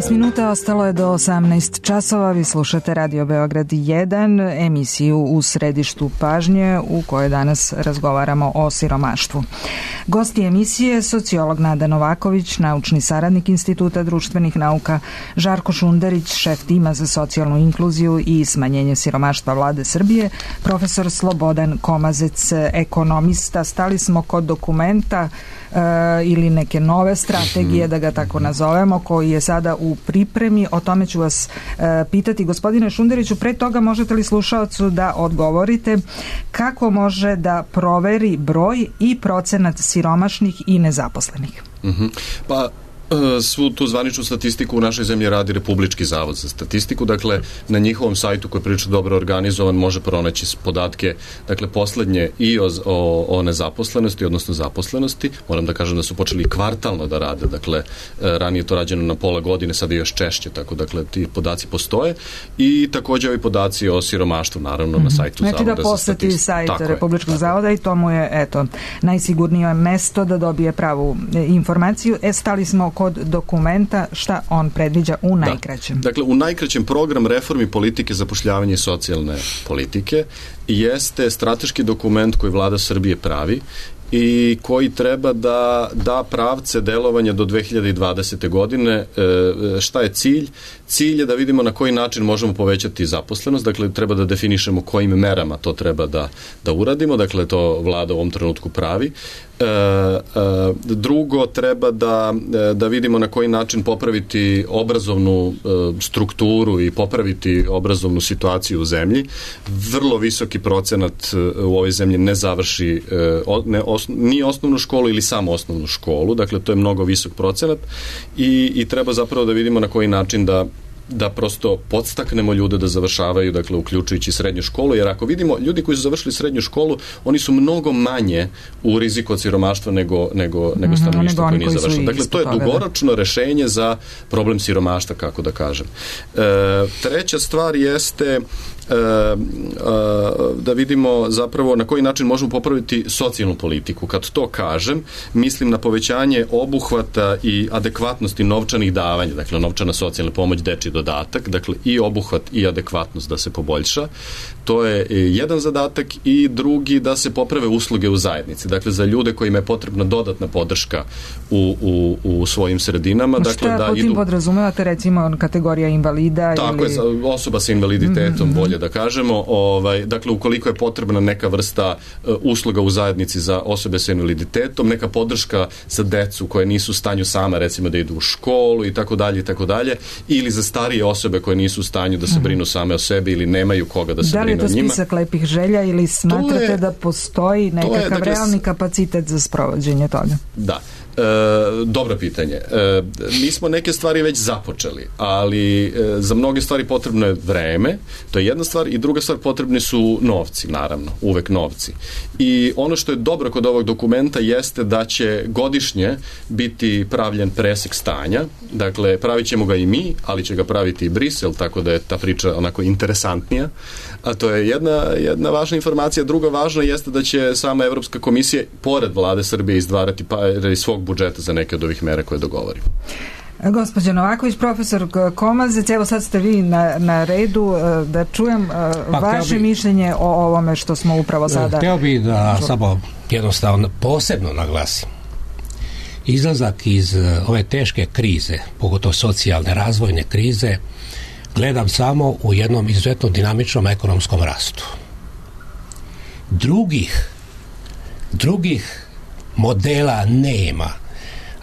sedamnaest minuta, ostalo je do osamnaest časova. Vi slušate Radio Beograd jedan, emisiju U središtu pažnje u kojoj danas razgovaramo o siromaštvu. Gosti emisije, sociolog Nada Novaković, naučni saradnik Instituta društvenih nauka, Žarko Šunderić, šef tima za socijalnu inkluziju i smanjenje siromaštva Vlade Srbije, profesor Slobodan Komazec, ekonomista. Stali smo kod dokumenta e, ili neke nove strategije, da ga tako nazovemo, koji je sada u pripremi. O tome ću vas e, pitati. Gospodine Šunderiću, pre toga možete li slušaocu da odgovorite kako može da proveri broj i procenat siromašnih i nezaposlenih? Mm-hmm. Pa svu tu zvaničnu statistiku u našoj zemlji radi Republički zavod za statistiku, dakle na njihovom sajtu koji je prilično dobro organizovan može pronaći podatke, dakle poslednje i o, o, o nezaposlenosti, odnosno zaposlenosti. Moram da kažem da su počeli kvartalno da rade, dakle ranije to rađeno na pola godine, sada je još češće, tako dakle ti podaci postoje i takođe ovi podaci o siromaštvu, naravno, mm-hmm. na sajtu znači Zavoda da za statistiku. Znači da poseti sajt Republičkog je, zavoda i to mu je, eto, najsigurnije mesto da dobije pravu informaciju. E, stali smo kod dokumenta, šta on predviđa u najkraćem? Da. Dakle, u najkraćem program reformi politike zapošljavanja i socijalne politike jeste strateški dokument koji Vlada Srbije pravi i koji treba da da pravce delovanja do dve hiljade dvadesete godine. Šta je cilj? Cilj je da vidimo na koji način možemo povećati zaposlenost, dakle treba da definišemo kojim merama to treba da, da uradimo, dakle to Vlada u ovom trenutku pravi. E, e, drugo, treba da, da vidimo na koji način popraviti obrazovnu e, strukturu i popraviti obrazovnu situaciju u zemlji. Vrlo visoki procenat u ovoj zemlji ne završi e, ne, os, ni osnovnu školu ili samo osnovnu školu, dakle to je mnogo visok procenat i, i treba zapravo da vidimo na koji način da da prosto podstaknemo ljude da završavaju, dakle uključujući srednju školu, jer ako vidimo ljudi koji su završili srednju školu, oni su mnogo manje u riziku od siromaštva nego, nego, nego stanovništvo mm-hmm, koje nije završilo. Dakle, to je dugoročno rešenje za problem siromaštva, kako da kažem. E, treća stvar jeste E, e, da vidimo zapravo na koji način možemo popraviti socijalnu politiku. Kad to kažem, mislim na povećanje obuhvata i adekvatnosti novčanih davanja, dakle novčana socijalna pomoć, dečji dodatak, dakle i obuhvat i adekvatnost da se poboljša. To je jedan zadatak i drugi da se poprave usluge u zajednici, dakle za ljude kojima je potrebna dodatna podrška u, u, u svojim sredinama. Šta dakle, da po tim idu... podrazumevate, recimo kategorija invalida? Tako ili... je, osoba sa invaliditetom, mm-hmm. bolje da kažemo, ovaj, dakle ukoliko je potrebna neka vrsta uh, usluga u zajednici za osobe sa invaliditetom, neka podrška za decu koje nisu u stanju sama recimo da idu u školu i tako dalje i tako dalje, ili za starije osobe koje nisu u stanju da se brinu same o sebi ili nemaju koga da se da brinu o njima. Da li je to spisak lepih želja ili smatrate je, da postoji nekakav je, dakle, realni kapacitet za sprovođenje toga? Da. E, dobro pitanje. E, mi smo neke stvari već započeli, ali e, za mnoge stvari potrebno je vreme, to je jedna stvar, i druga stvar, potrebni su novci, naravno, uvek novci. I ono što je dobro kod ovog dokumenta jeste da će godišnje biti pravljen presek stanja, dakle pravit ćemo ga i mi, ali će ga praviti i Brisel, tako da je ta priča onako interesantnija, a to je jedna, jedna važna informacija. Druga važna jeste da će sama Evropska komisija pored Vlade Srbije izdvarati pare iz svog budžeta za neke od ovih mera koje dogovorimo. Gospođa Novaković, profesor Komazec, evo sad ste vi na, na redu, da čujem pa, vaše bi, mišljenje o ovome što smo upravo sada... Hteo bi da samo jednostavno posebno naglasim. Izlazak iz ove teške krize, pogotovo socijalne, razvojne krize, gledam samo u jednom izuzetno dinamičnom ekonomskom rastu. Drugih, drugih modela nema.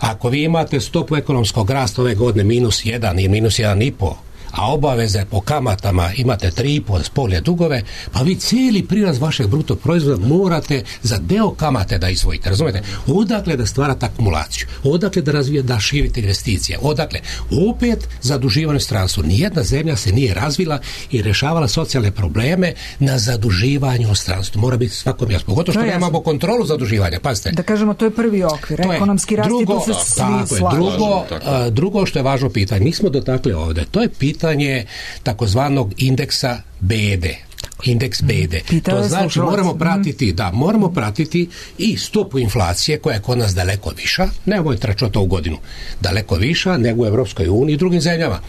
Ako vi imate stopu ekonomskog rasta ove godine minus jedan ili minus jedan i po, a obaveze po kamatama imate tri i po spolje dugove, pa vi cijeli prirast vašeg bruto proizvoda morate za deo kamate da izvojite, razumete? Odakle da stvarate akumulaciju, odakle da razvijete, da širite investicije, odakle opet zaduživanje stranstvo. Nijedna zemlja se nije razvila i rešavala socijalne probleme na zaduživanju u stranstvu. Mora biti svakom jasno. Pogotovo što nemamo kontrolu zaduživanja. Pazite. Da kažemo, to je prvi okvir, to ekonomski rast i tu se svi slažu. Drugo, a, drugo što je važno pitanje, mi smo dotakli ovde, to je pitanje takozvanog indeksa B E D. indeks bede. Pitao to znači slušalac. moramo pratiti, da, moramo pratiti i stopu inflacije koja je kod nas daleko viša, nemoj tračati to u godinu, daleko viša nego u Evropskoj uniji i drugim zemljama.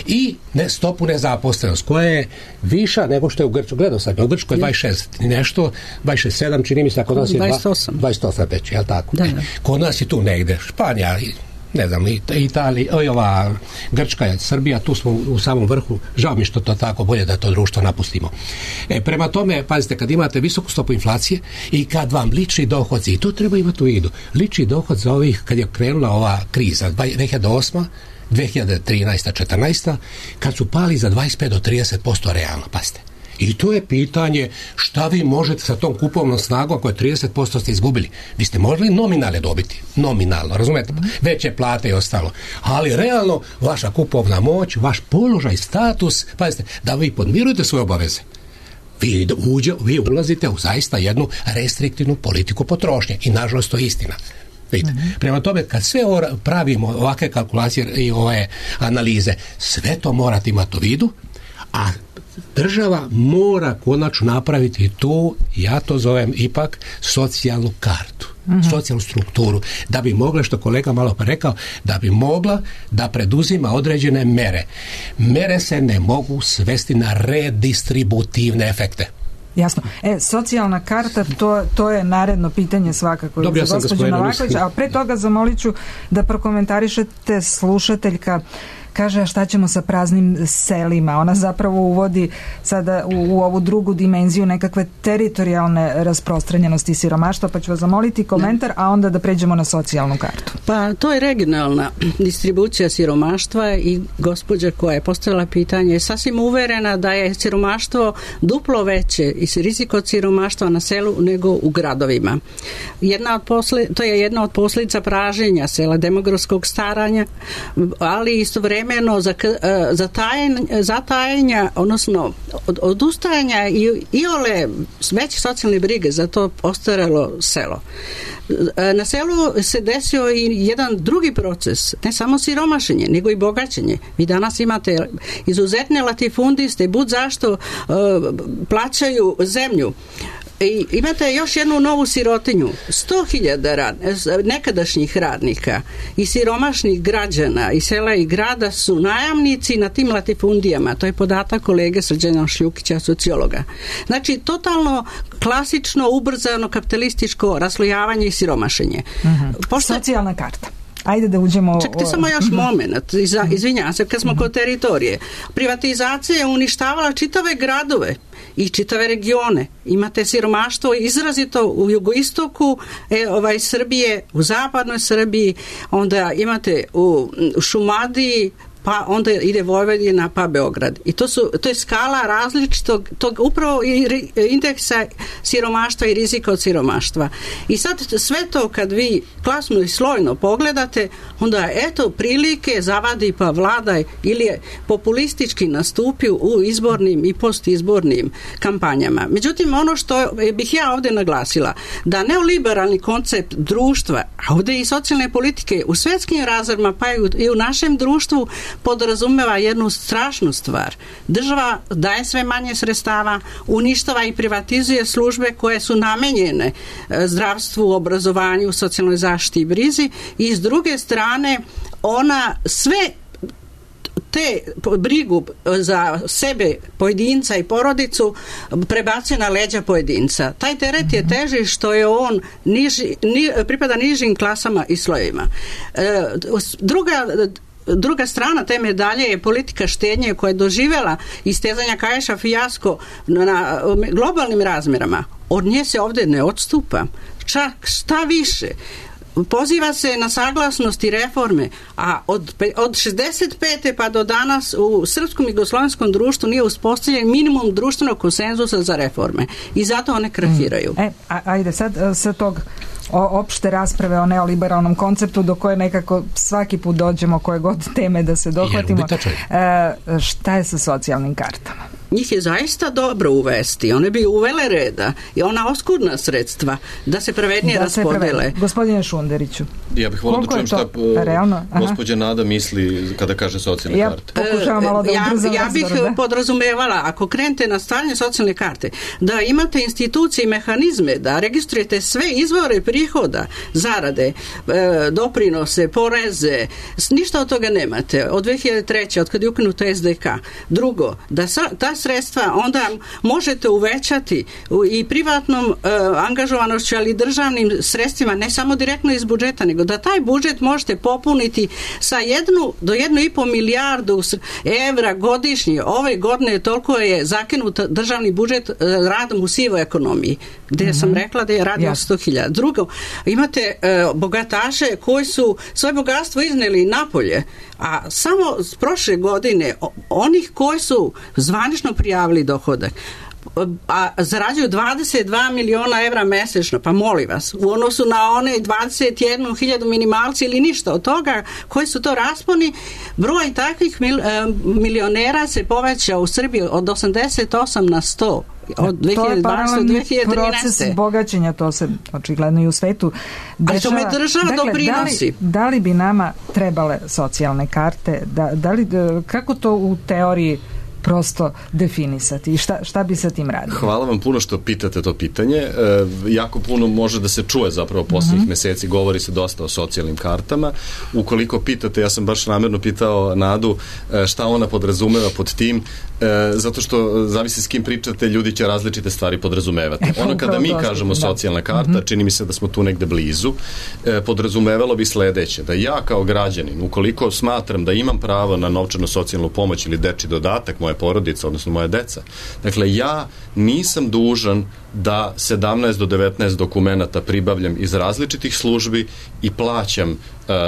I ne, stopu nezaposlenost koja je viša nego što je u Grčkoj. Gledao sam, u Grčkoj je dvadeset šest nešto, dvadeset šest sedam, čini mi se, kod nas je dvadeset osam. dvadeset osam već, jel tako? Da, da. Kod nas je tu negde, Španija, ne znam, Italija, ova Grčka, Srbija, tu smo u samom vrhu. Žao mi što to tako, bolje da to društvo napustimo. E, prema tome, pazite, kad imate visoku stopu inflacije i kad vam lični dohodci, i to treba imati u vidu, lični dohod za ovih, kad je krenula ova kriza, dve hiljade osma dve hiljade trinaesta četrnaesta kad su pali za dvadeset pet do trideset posto realno, pazite. I to je pitanje šta vi možete sa tom kupovnom snagom ako je trideset posto ste izgubili. Vi ste mogli nominalne dobiti. Nominalno, razumete? Veće plate i ostalo. Ali realno vaša kupovna moć, vaš položaj, status, pazite, da vi podmirujete svoje obaveze. Vi, uđe, vi ulazite u zaista jednu restriktivnu politiku potrošnje. I nažalost to je istina. Vidite. Mm-hmm. Prema tome, kad sve pravimo ovakve kalkulacije i ove analize, sve to morate imati u vidu, a država mora konačno napraviti tu, ja to zovem ipak, socijalnu kartu, mm-hmm. socijalnu strukturu, da bi mogla, što kolega malo pa rekao, da bi mogla da preduzima određene mere. Mere se ne mogu svesti na redistributivne efekte. Jasno. E, socijalna karta, to, to je naredno pitanje svakako Dobio za gospođu Novaković, a pre toga zamolit ću da prokomentarišete, slušateljka kaže, a šta ćemo sa praznim selima? Ona zapravo uvodi sada u, u ovu drugu dimenziju nekakve teritorijalne rasprostranjenosti siromaštva, pa ću vas zamoliti komentar, a onda da pređemo na socijalnu kartu. Pa to je regionalna distribucija siromaštva i gospođa koja je postavila pitanje je sasvim uverena da je siromaštvo duplo veće i rizik od siromaštva na selu nego u gradovima. Jedna od posle, to je jedna od posljedica praženja sela, demografskog staranja, ali istovremeno zatajenja, odnosno od, odustajanja i, i ole veće socijalne brige za to ostarelo selo. Na selu se desio i jedan drugi proces, ne samo siromašenje, nego i bogaćenje. Vi danas imate izuzetne latifundiste, bud zašto uh, plaćaju zemlju. I imate još jednu novu sirotinju, sto hiljada rad, nekadašnjih radnika i siromašnih građana i sela i grada su najamnici na tim latifundijama. To je podatak kolege Srđana Šljukića, sociologa. Znači, totalno klasično, ubrzano kapitalističko raslojavanje i siromašenje. Mm-hmm. Pošto... Socijalna karta. Ajde da uđemo... Čekajte samo još moment, izvinjavam se, kad smo kod teritorije. Privatizacija je uništavala čitave gradove i čitave regione. Imate siromaštvo izrazito u jugoistoku e, ovaj, Srbije, u zapadnoj Srbiji, onda imate u, u Šumadiji, pa onda ide Vojvodina, pa Beograd. I to, su, to je skala različitog, tog upravo indeksa siromaštva i rizika od siromaštva. I sad sve to kad vi klasno i slojno pogledate, onda eto prilike zavadi pa vladaj ili je populistički nastupio u izbornim i postizbornim kampanjama. Međutim, ono što bih ja ovdje naglasila, da neoliberalni koncept društva, a ovdje i socijalne politike u svjetskim razmjerima pa i u našem društvu podrazumeva jednu strašnu stvar. Država daje sve manje sredstava, uništava i privatizuje službe koje su namenjene zdravstvu, obrazovanju, socijalnoj zaštiti i brizi i s druge strane ona sve te brigu za sebe, pojedinca i porodicu prebacuje na leđa pojedinca. Taj teret je teži što je on niži, ni, pripada nižim klasama i slojevima. E, druga Druga strana te medalje je politika štednje koja je doživjela istezanja Kaješa fijasko na globalnim razmjerama. Od nje se ovdje ne odstupa. Čak šta više, poziva se na saglasnost i reforme, a od, od šezdeset pete pa do danas u srpskom i jugoslovenskom društvu nije uspostavljen minimum društvenog konsenzusa za reforme. I zato one krahiraju. E, a, ajde sad sa tog o opšte rasprave o neoliberalnom konceptu do koje nekako svaki put dođemo koje god teme da se dohvatimo. E, šta je sa socijalnim kartama? njih je zaista dobro uvesti. One bi uvele reda i ona oskudna sredstva da se pravednije da raspodele. Gospodine Šunderiću, ja bih volio da čujem šta gospođa Nada misli kada kaže socijalne ja karte. Pokušavam malo da ja, ubrzam ja bih razgovor, da? podrazumevala, ako krenete na stavljanje socijalne karte, da imate institucije i mehanizme, da registrujete sve izvore prihoda, zarade, e, doprinose, poreze, ništa od toga nemate. Od dve hiljade treće. od kada je ukinuto es de ka. Drugo, da sa, ta sredstva onda možete uvećati i privatnom e, angažovanošću, ali i državnim sredstvima, ne samo direktno iz budžeta, nego da taj budžet možete popuniti sa jednu do jednu i po milijardu evra godišnje. Ove godine toliko je zakinut državni budžet e, radom u sivoj ekonomiji, gde mm-hmm. sam rekla da je radi ja. sto hiljada. Drugo, imate e, bogataše koji su svoje bogatstvo izneli napolje, a samo s prošle godine onih koji su zvanično prijavili dohodak, a zarađuju dvadeset dva miliona evra mesečno, pa molim vas, u odnosu na one dvadeset jednu hiljadu minimalci ili ništa od toga, koji su to rasponi, broj takvih mil, milionera se povećao u Srbiji od osamdeset osam na sto. Od dve hiljade dvanaeste do dve hiljade trinaeste. Proces bogaćenja, to se očigledno i u svetu dešava. A to me država dakle, doprinosi. Da li, da li bi nama trebale socijalne karte? Da, da li, kako to u teoriji prosto definisati i šta, šta bi sa tim radili? Hvala vam puno što pitate to pitanje. E, jako puno može da se čuje zapravo posljednjih uh-huh. meseci, govori se dosta o socijalnim kartama. Ukoliko pitate, ja sam baš namjerno pitao Nadu e, šta ona podrazumeva pod tim, e, zato što zavisi s kim pričate, ljudi će različite stvari podrazumevati. E, ono kada mi kažemo socijalna karta, uh-huh. čini mi se da smo tu negde blizu, e, podrazumevalo bi sledeće, da ja kao građanin, ukoliko smatram da imam pravo na novčanu socijalnu pomoć ili dečji dodatak, moja porodica, odnosno moja deca. Dakle, ja nisam dužan da sedamnaest do devetnaest dokumenata pribavljam iz različitih službi i plaćam uh,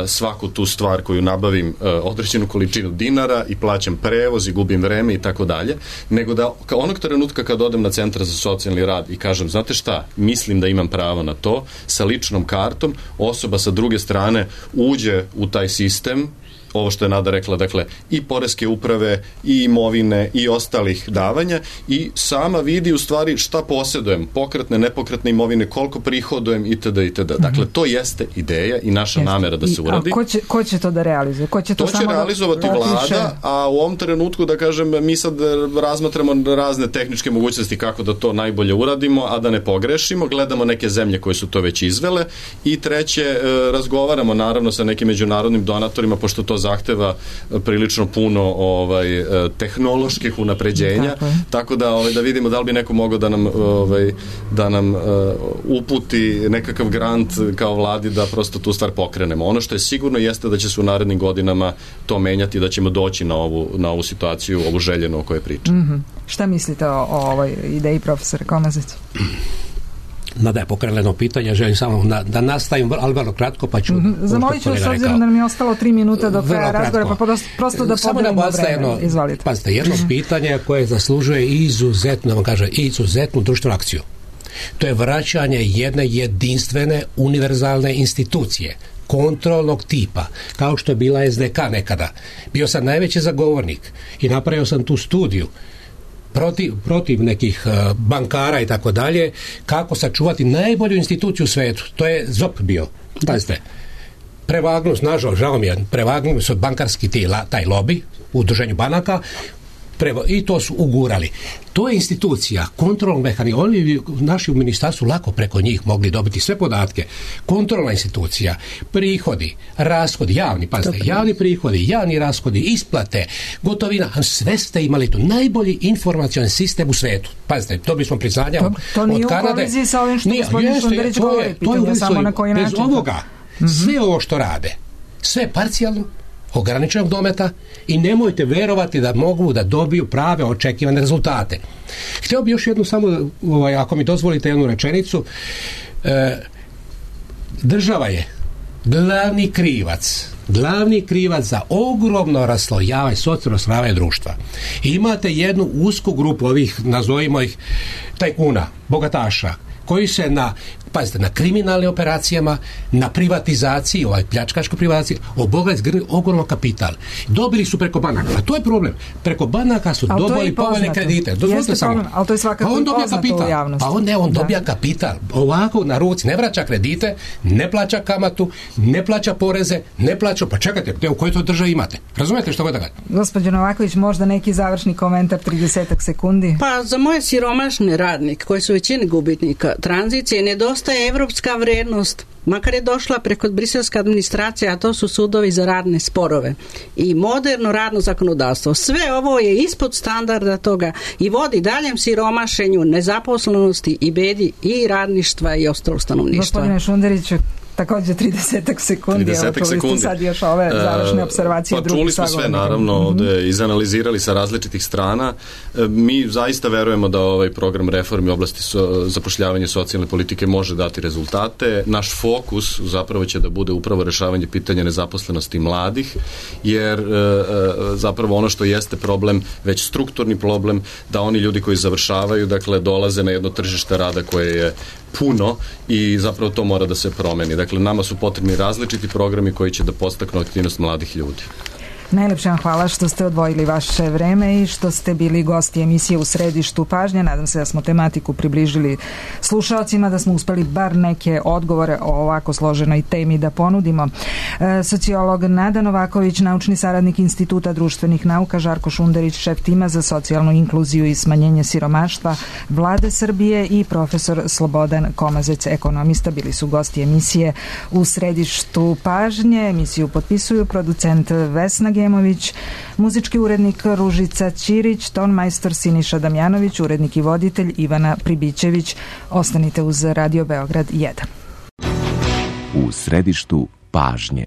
svaku tu stvar koju nabavim uh, određenu količinu dinara i plaćam prevoz i gubim vreme i tako dalje, nego da kao onog trenutka kad odem na centar za socijalni rad i kažem, znate šta, mislim da imam pravo na to, sa ličnom kartom, osoba sa druge strane uđe u taj sistem, ovo što je Nada rekla, dakle, i poreske uprave, i imovine, i ostalih davanja, i sama vidi u stvari šta posjedujem, pokretne, nepokretne imovine, koliko prihodujem, itd. itd. Dakle, to jeste ideja i naša jeste. namera da se uradi. A ko će, ko će to da realizuje? Ko će to, to samo će realizovati da vlada, a u ovom trenutku, da kažem, mi sad razmatramo razne tehničke mogućnosti kako da to najbolje uradimo, a da ne pogrešimo, gledamo neke zemlje koje su to već izvele, i treće, razgovaramo naravno sa nekim međunarodnim donatorima, pošto to zahteva prilično puno ovaj tehnoloških unapređenja, tako, tako da ovaj da vidimo da li bi neko mogao da nam ovaj da nam uh, uputi nekakav grant kao vladi da prosto tu stvar pokrenemo. Ono što je sigurno jeste da će se u narednim godinama to menjati, da ćemo doći na ovu na ovu situaciju, ovu željenu o kojoj pričam. Mm-hmm. Šta mislite o, o ovoj ideji, profesore Komazić? Nada je pokrenula jedno pitanje, želim samo na, da nastavim, ali vrlo kratko, pa ću... Mm-hmm. Zamolit ću s obzirom da nam je ostalo tri minuta do kraja razgovora, pa prosto, prosto da podelimo vreme. Jedno, Izvolite. Pazite, jedno mm-hmm. pitanje koje zaslužuje izuzetno, da vam kažem, izuzetnu društvenu akciju. To je vraćanje jedne jedinstvene, univerzalne institucije, kontrolnog tipa, kao što je bila es de ka nekada. Bio sam najveći zagovornik i napravio sam tu studiju protiv, protiv nekih uh, bankara i tako dalje, kako sačuvati najbolju instituciju u svetu. To je zop bio. Pazite, prevagnu, nažalost, žao mi je, prevagnu su bankarski ti, la, taj lobby u udruženju banaka, Prevo, i to su ugurali. To je institucija, kontrolnog mehanizma. Oni naši u ministarstvu lako preko njih mogli dobiti sve podatke. Kontrolna institucija, prihodi, rashodi, javni, pazite, javni prihodi, javni rashodi, isplate, gotovina, sve ste imali tu. Najbolji informacioni sistem u svetu. Pazite, to bismo priznanja to, to nije od Kanade. U koliziji sa ovim što nije, gospodin Šunderić govori. To je, to je samo na koji bez način. ovoga, mm-hmm. sve ovo što rade, sve parcijalno, ograničenog dometa, i nemojte verovati da mogu da dobiju prave očekivane rezultate. Htio bi još jednu samo, ovaj, ako mi dozvolite jednu rečenicu, e, država je glavni krivac glavni krivac za ogromno raslojavanje, socijalno raslojavanje društva. I imate jednu usku grupu ovih, nazovimo ih, tajkuna, bogataša, koji se na pazite, na kriminalnim operacijama, na privatizaciji, ovaj pljačkaškoj privatizaciji, obogat zgrnuli ogroman kapital. Dobili su preko banaka, a to je problem. Preko banaka su dobili povoljne kredite. Jeste problem, ali to je svakako i poznato u javnosti. Pa on ne, on dobija kapital. Ovako na ruci, ne vraća kredite, ne plaća kamatu, ne plaća poreze, ne plaća, pa čekajte, gde, u kojoj to državi imate? Razumete što god da kažem? Gospođo Novaković, možda neki završni komentar, trideset sekundi. Pa za moje siromašne radnike, koji su većini gubitnika tranzicije, nedostaje evropska vrednost, makar je došla preko briselske administracije, a to su sudovi za radne sporove i moderno radno zakonodavstvo. Sve ovo je ispod standarda toga i vodi daljem siromašenju, nezaposlenosti i bedi i radništva i ostalog stanovništva. Gospodine Šunderiću, također trideset sekundi, trideset evo čuli ste sad još ove završne observacije. Pa čuli smo sve, naravno, ovde izanalizirali sa različitih strana. Mi zaista verujemo da ovaj program reformi u oblasti so, zapošljavanja socijalne politike može dati rezultate. Naš fokus zapravo će da bude upravo rešavanje pitanja nezaposlenosti mladih, jer e, zapravo ono što jeste problem, već strukturni problem, da oni ljudi koji završavaju, dakle, dolaze na jedno tržište rada koje je puno i zapravo to mora da se promeni. Dakle, nama su potrebni različiti programi koji će da podstaknu aktivnost mladih ljudi. Najlepše vam hvala što ste odvojili vaše vreme i što ste bili gosti emisije U središtu pažnje. Nadam se da smo tematiku približili slušalcima, da smo uspeli bar neke odgovore o ovako složenoj temi da ponudimo. E, sociolog Nada Novaković, naučni saradnik Instituta društvenih nauka, Žarko Šunderić, šef tima za socijalnu inkluziju i smanjenje siromaštva Vlade Srbije i profesor Slobodan Komazec, ekonomista, bili su gosti emisije U središtu pažnje. Emisiju potpisuju producent Vesna Gemović, muzički urednik Ružica Ćirić, tonmajstor Siniša Damjanović, urednik i voditelj Ivana Pribićević. Ostanite uz Radio Beograd jedan. U središtu pažnje.